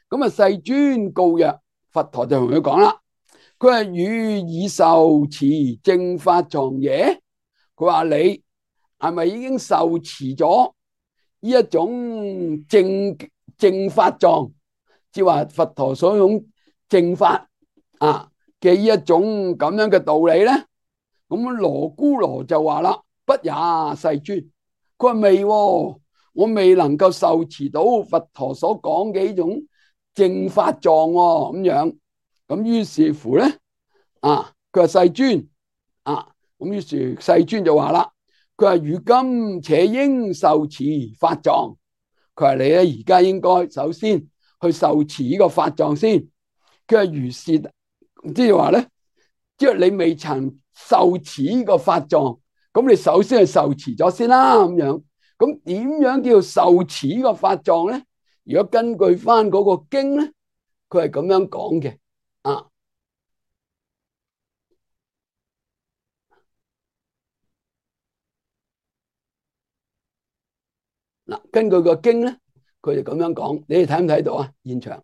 A: 咁啊，世尊告曰，佛陀就同佢講啦，佢係汝已受持正法藏耶？佢話你係咪已經受持咗呢一種正法藏，即係話佛陀所用正法嘅呢一種咁樣嘅道理咧？咁羅姑羅就話啦，不也，世尊。佢話未，我未能夠受持到佛陀所講嘅呢種正法藏咁樣。咁於是乎咧，佢話世尊咁於是世尊就話啦，佢話如今且應受持法藏。佢話你咧而家應該首先去受持呢個法藏先。佢話如是，即係話咧，即係你未曾受持呢個法藏，咁你首先係受持咗先啦咁樣。咁點樣叫受持呢個法藏咧？如果根據翻嗰個經咧，佢係咁樣講嘅啊。嗱，根據個經咧，佢就咁樣講，你哋睇唔睇到啊？現場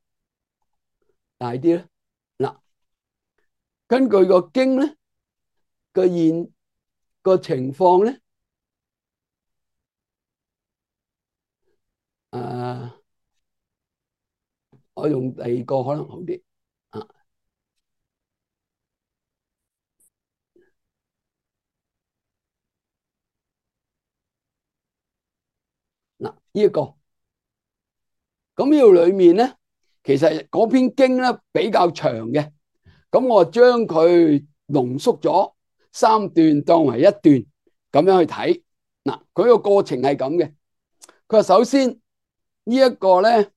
A: 大啲咧。嗱，根據個經咧個情況咧，我用第二個可能好啲啊。嗱，呢一個咁呢度裏面咧，其實嗰篇經咧比較長嘅，咁我將佢濃縮咗三段當為一段咁樣去睇。嗱，佢個過程係咁嘅。佢話首先呢一個咧，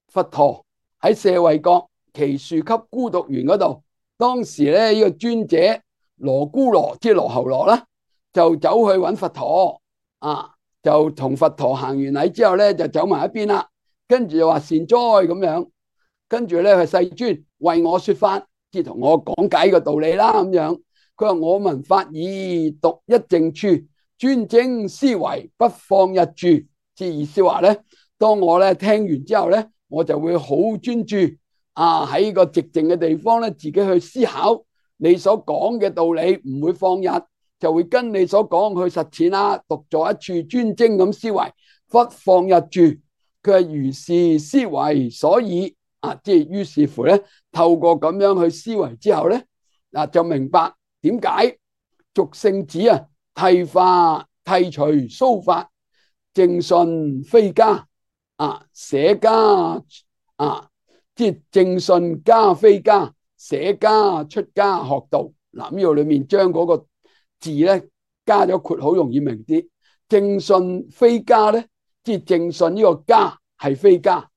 A: 佛陀喺舍衛國祇樹給孤獨園嗰度，當時咧呢個尊者羅姑羅即係羅睺羅啦，就走去揾佛陀啊，就同佛陀行完禮之後咧，就走埋一邊啦。跟住就話善哉咁樣，跟住咧係世尊為我說法，即係同我講解個道理啦咁樣。佢話我聞法已獨一靜處，專精思維不放逸住。即係意思話咧，當我咧聽完之後咧，我就會好專注啊，喺個寂靜嘅地方咧，自己去思考你所講嘅道理，唔會放逸，就會跟你所講去實踐啦。獨坐一處專精咁思維，不放逸住。佢係如是思維，所以啊，即係於是乎咧，透過咁樣去思維之後咧，嗱就明白點解俗聖子啊，剃除鬚髮，正信非家啊，捨家啊，即係正信家非家，捨家出家學道。嗱，呢度裏面將嗰個字咧加咗括號，容易明啲。正信非家咧，即係正信呢個家係非家，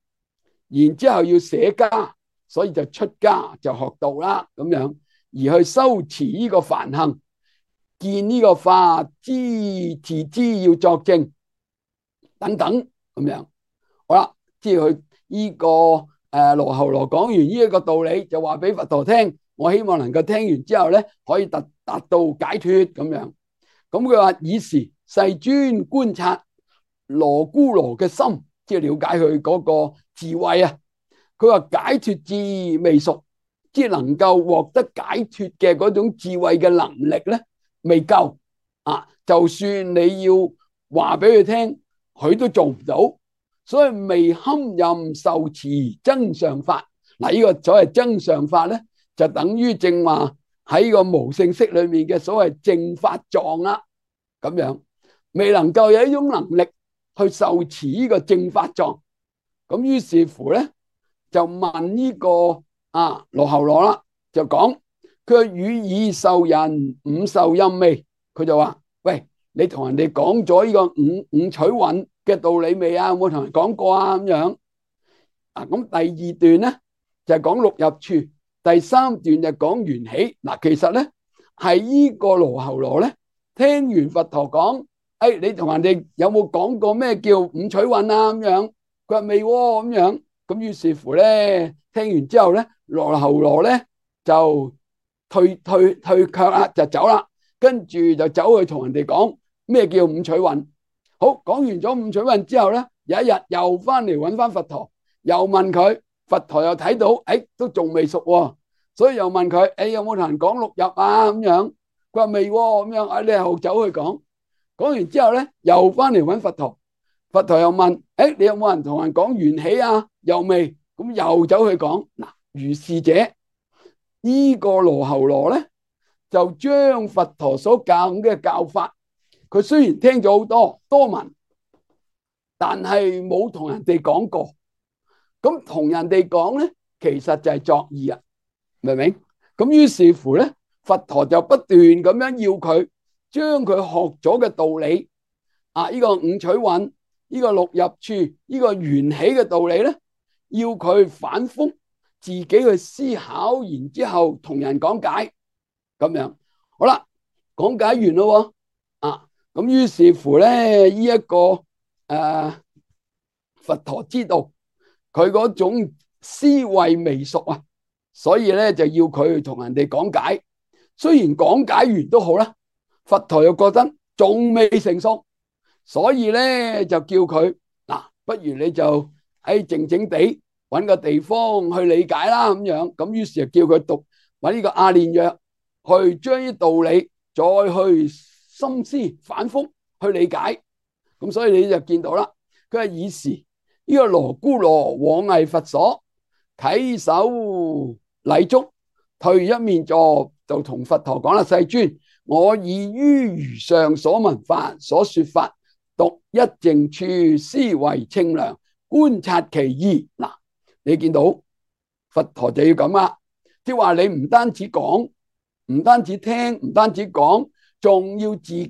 A: 然之後要捨家，所以就出家就學道啦咁樣，而去修持呢個梵行，見呢個法自知要作證等等咁樣。好啦，即係佢呢個羅睺羅講完呢一個道理，就話俾佛陀聽，我希望能夠聽完之後咧，可以達到解脫咁樣。咁佢話以時世尊觀察羅姑羅嘅心，即係了解佢嗰個智慧啊。佢話解脫智未熟，即係能夠獲得解脫嘅嗰種智慧嘅能力咧，未夠啊。就算你要話俾佢聽，佢都做唔到。所以未堪任受持增上法。嗱，呢個所謂增上法咧，就等於正話喺個無性釋裏面嘅所謂正法藏啦。咁樣未能夠有一種能力去受持呢個正法藏，咁於是乎咧就問呢個羅睺羅啦，就講佢語已受人五受任未？佢就話：喂，你同人哋講咗呢個五取蘊嘅道理未啊？有冇同人講過啊？咁樣咁第二段咧就係講六入處，第三段就講緣起。嗱，其實咧係呢個羅睺羅咧聽完佛陀講，你同人哋有冇講過咩叫五取蘊啊？咁樣佢話未喎，咁樣咁於是乎咧聽完之後咧，羅睺羅咧就退卻啦，就走啦，跟住就走去同人哋講咩叫五取蘊。好，講完咗五取蘊之後咧，有一日又翻嚟揾翻佛陀，又問佢，佛陀又睇到，都仲未熟喎，所以又問佢，有冇同人講六入啊？咁樣佢話未喎，咁樣你又走去講，講完之後咧，又翻嚟揾佛陀，佛陀又問，你有冇人同人講緣起啊？又未，咁又走去講。嗱，如是者，呢個羅睺羅咧，就將佛陀所教嘅教法，佢雖然聽咗好多聞，但係冇同人哋講過。咁同人哋講咧，其實就係作意啊，明唔明？咁於是乎咧，佛陀就不斷咁樣要佢將佢學咗嘅道理呢個五取蘊呢個六入處呢個緣起嘅道理咧，要佢反覆自己去思考，然之後同人講解咁樣。好啦，講解完咯咁於是乎咧，呢一個佛陀知道佢嗰種思維未熟啊，所以咧就要佢同人哋講解。雖然講解完都好啦，佛陀又覺得仲未成熟，所以咧就叫佢不如你就喺靜靜地揾個地方去理解啦咁樣。咁於是就叫佢讀揾呢個阿練若去將啲道理再去深思反覆去理解。咁所以你就見到啦，佢係以時呢個羅睺羅往詣佛所，稽首禮足，退一面座，就同佛陀講啦：世尊，我已於如上所聞法所說法，獨一靜處，思維清涼，觀察其義。你見到佛陀就要咁啦，即係話你唔單止講，唔單止聽，唔單止講，仲要自己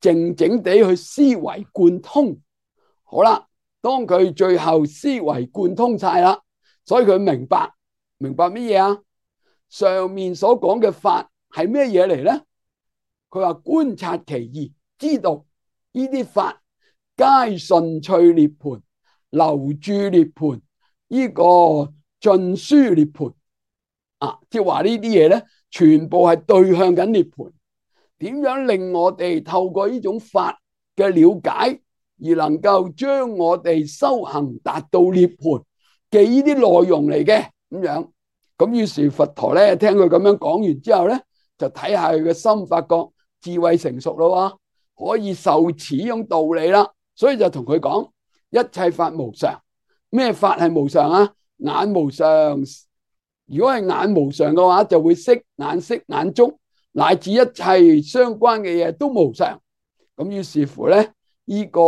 A: 靜靜地去思維貫通。好啦，當佢最後思維貫通晒啦，所以佢明白乜嘢啊？上面所講嘅法係咩嘢嚟咧？佢話觀察其義，知道呢啲法皆順趣涅槃，流注涅槃，呢個盡輸涅槃即係話呢啲嘢咧，全部係對向緊涅槃。點樣令我哋透過呢種法嘅了解，而能夠將我哋修行達到涅槃嘅呢啲內容嚟嘅咁樣。咁於是佛陀咧聽佢咁樣講完之後咧，就睇下佢嘅心，發覺智慧成熟咯，可以受持呢種道理啦。所以就同佢講：一切法無常。咩法係無常啊？眼無常。如果係眼無常嘅話，就會色眼觸，乃至一切相關嘅嘢都無常。咁於是乎咧，呢個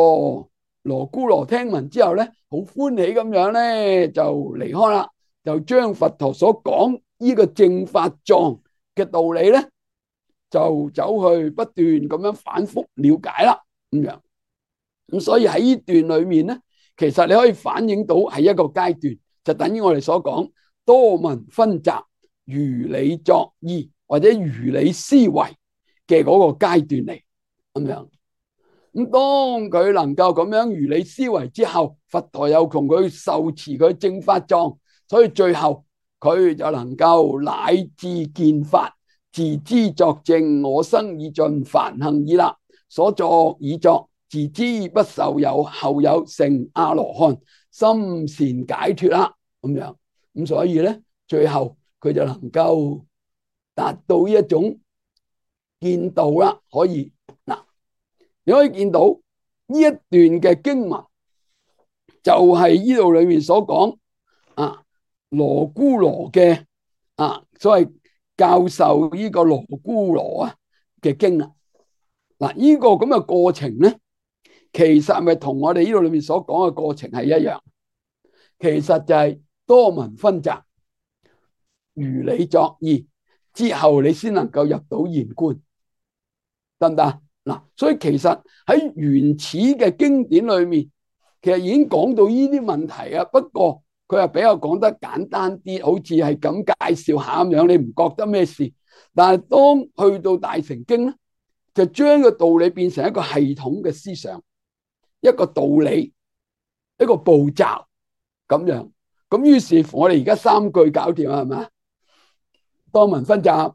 A: 羅睺羅聽聞之後咧，好歡喜咁樣咧就離開啦，就將佛陀所講呢個正法藏嘅道理咧，就走去不斷咁樣反覆了解啦咁樣。咁所以喺呢段裏面咧，其實你可以反映到係一個階段，就等於我哋所講多聞熏習、如理作意或者如理思維嘅嗰個階段嚟咁樣。咁當佢能夠咁樣如理思維之後，佛陀又同佢受持佢正法藏，所以最後佢就能夠乃至見法，自知作證，我生已盡，梵行已立，所作已作，自知不受有，後有成阿羅漢，心善解脫啦咁樣。咁所以咧，最後佢就能夠達到一種見道啦。可以你可以見到呢一段嘅經文，就係呢度裏面所講羅睺羅嘅所謂教授呢個羅睺羅嘅經呢個咁嘅過程咧，其實係咪同我哋呢度裏面所講嘅過程係一樣？其實就係多聞熏習、如理作意之後，你先能夠入到現觀，得唔得？所以其實喺原始嘅經典裏面，其實已經講到呢啲問題啊。不過佢係比較講得簡單啲，好似係咁介紹下咁樣，你唔覺得咩事？但係當去到大乘經咧，就將個道理變成一個系統嘅思想，一個道理，一個步驟咁樣。咁於是乎我哋而家三句搞掂啦，係咪？多聞熏習、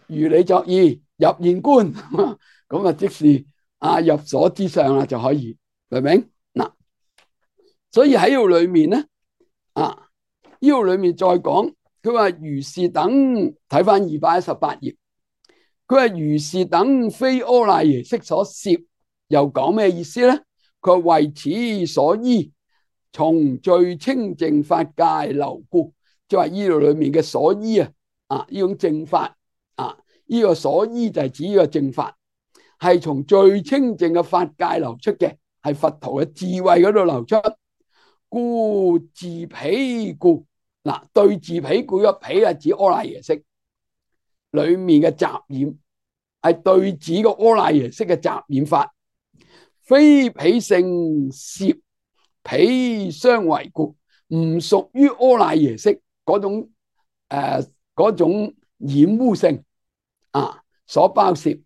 A: 如理作意、入現觀。咁即是入所之上啦，就可以明唔明？所以喺呢度裏面咧，呢度裏面再講，佢話如是等，睇翻218頁，佢話如是等非阿賴耶識所攝，又講咩意思咧？佢話為此所依，從最清淨法界流故，即係話呢度裏面嘅所依呢種正法呢個所依就係指呢個正法。係從最清淨嘅法界流出嘅，係佛陀嘅智慧嗰度流出。故自彼故，對治彼故，個彼係指阿賴耶識裏面嘅雜染，係對治個阿賴耶識嘅雜染法。非彼性攝彼相為故，唔屬於阿賴耶識嗰種嗰種染污性所包攝，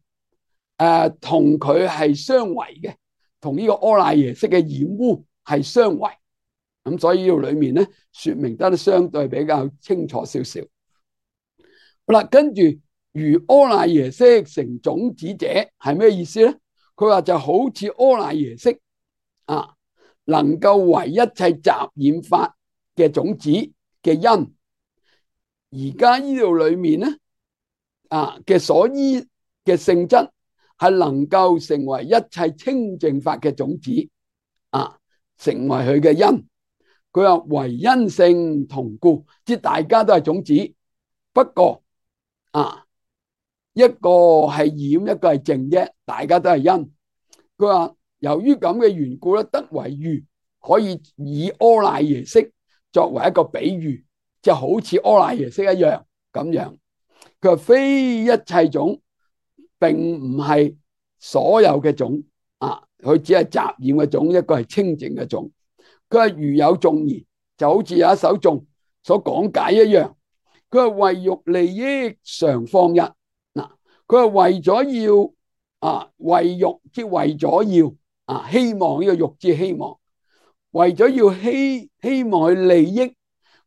A: 同佢係相違嘅，同呢個阿賴耶識嘅染污係相違。咁所以呢度裏面咧說明得相對比較清楚少少。好啦，跟住如阿賴耶識成種子者係咩意思咧？佢話就好似阿賴耶識能夠為一切雜染法嘅種子嘅因。而家呢度裏面咧嘅所依嘅性質係能夠成為一切清淨法嘅種子成為佢嘅因。佢話唯因性同故，即大家都係種子，不過一個係染，一個係淨啫，大家都係因。佢話由於咁嘅緣故咧，得為喻，可以以阿賴耶識作為一個比喻，就好似阿賴耶識一樣咁樣。佢話非一切種，並唔係所有嘅種佢只係雜染嘅種，一個係清淨嘅種。佢話如有頌言，就好似有一首頌所講解一樣。佢話為欲利益常放逸，佢話為咗要為欲，即為咗要希望，呢個欲即希望，為咗要希望去利益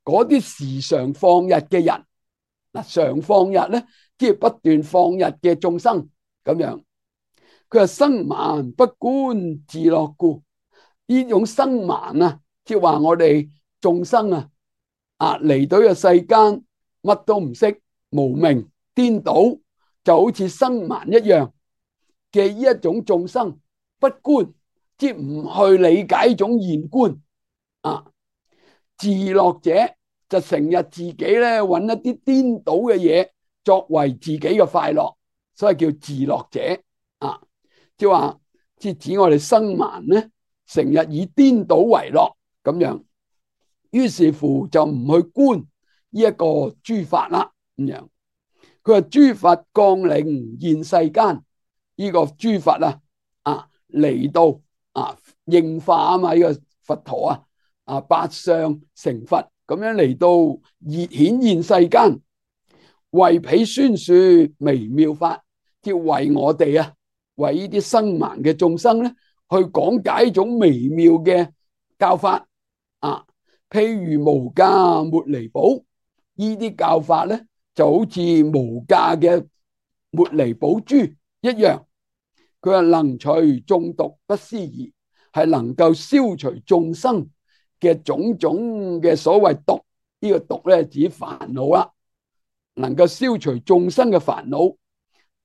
A: 嗰啲時常放逸嘅人。常放逸咧，即係不斷放逸嘅眾生咁樣。佢話生盲不觀自樂故，呢種生盲即係話我哋眾生嚟到呢個世間乜都唔識，無明顛倒，就好似生盲一樣嘅呢一種眾生，不觀即係唔去理解呢種現觀自樂者就成日自己咧揾一啲顛倒嘅嘢作為自己嘅快樂，所以叫自樂者即係話即係指我哋生盲咧，成日以顛倒為樂咁樣，於是乎就唔去觀呢一個諸法啦咁樣。佢話諸佛降臨現世間，呢個諸佛嚟到應化嘛，呢個佛陀八相成佛咁樣嚟到顯現世間，為彼宣說微妙法，即為我哋為呢啲生盲嘅眾生咧，去講解一種微妙嘅教法譬如無價茉莉寶，呢啲教法咧就好似無價嘅茉莉寶珠一樣。佢話能除眾毒不思議，係能夠消除眾生嘅種種嘅所謂毒。呢個毒咧指煩惱啦，能夠消除眾生嘅煩惱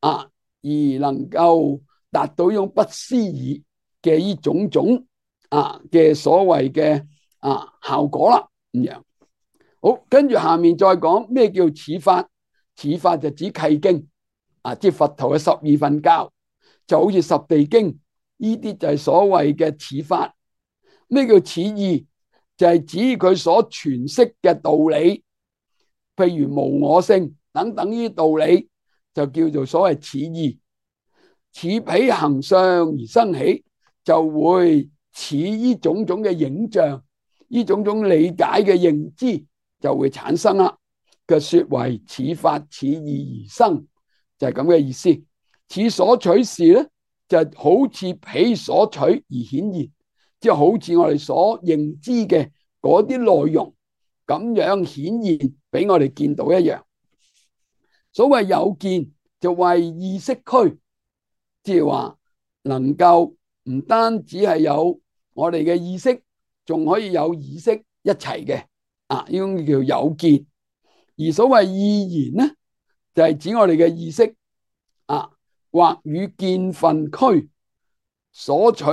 A: 而能夠達到呢種不思議嘅呢種種嘅所謂嘅效果啦咁樣。好，跟住下面再講咩叫此法？此法就指契經即係佛陀嘅12分教，就好似十地經，呢啲就係所謂嘅此法。咩叫此義？就係指佢所詮釋嘅道理，譬如無我性等等呢啲道理，就叫做所謂此義。此彼行相而生起，就會似呢種種嘅影像，呢種種理解嘅認知就會產生啦。嘅說為此法此義而生，就係咁嘅意思。此所取事咧，就好似彼所取而顯現。即係好似我哋所認知嘅嗰啲內容咁樣顯現俾我哋見到一樣。所謂有見就為意識區，即係話能夠唔單止係有我哋嘅意識，仲可以有意識一齊嘅呢種叫有見。而所謂意言咧，就係指我哋嘅意識或與見分區所取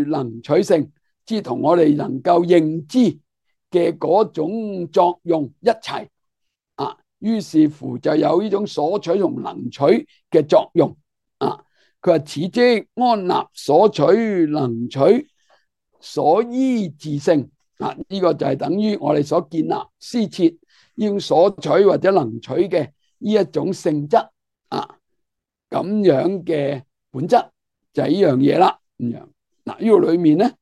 A: 能取性，即同我哋能夠認知嘅嗰種作用一齊於是乎就有呢種所取同能取嘅作用佢話此即安立所取能取所依自性呢個就係等於我哋所建立施設呢種所取或者能取嘅呢一種性質咁樣嘅本質就係呢樣嘢啦咁樣。嗱，呢度裏面咧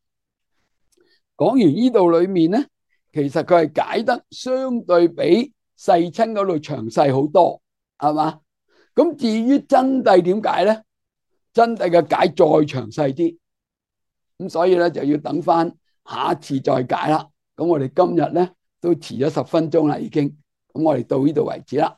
A: 講完呢度裏面咧，其實佢係解得相對比世親嗰度詳細好多，係嘛？咁至於真諦點解咧？真諦嘅解再詳細啲，咁所以咧就要等翻下一次再解啦。咁我哋今日咧都遲咗10分鐘啦，已經。咁我哋到呢度為止啦。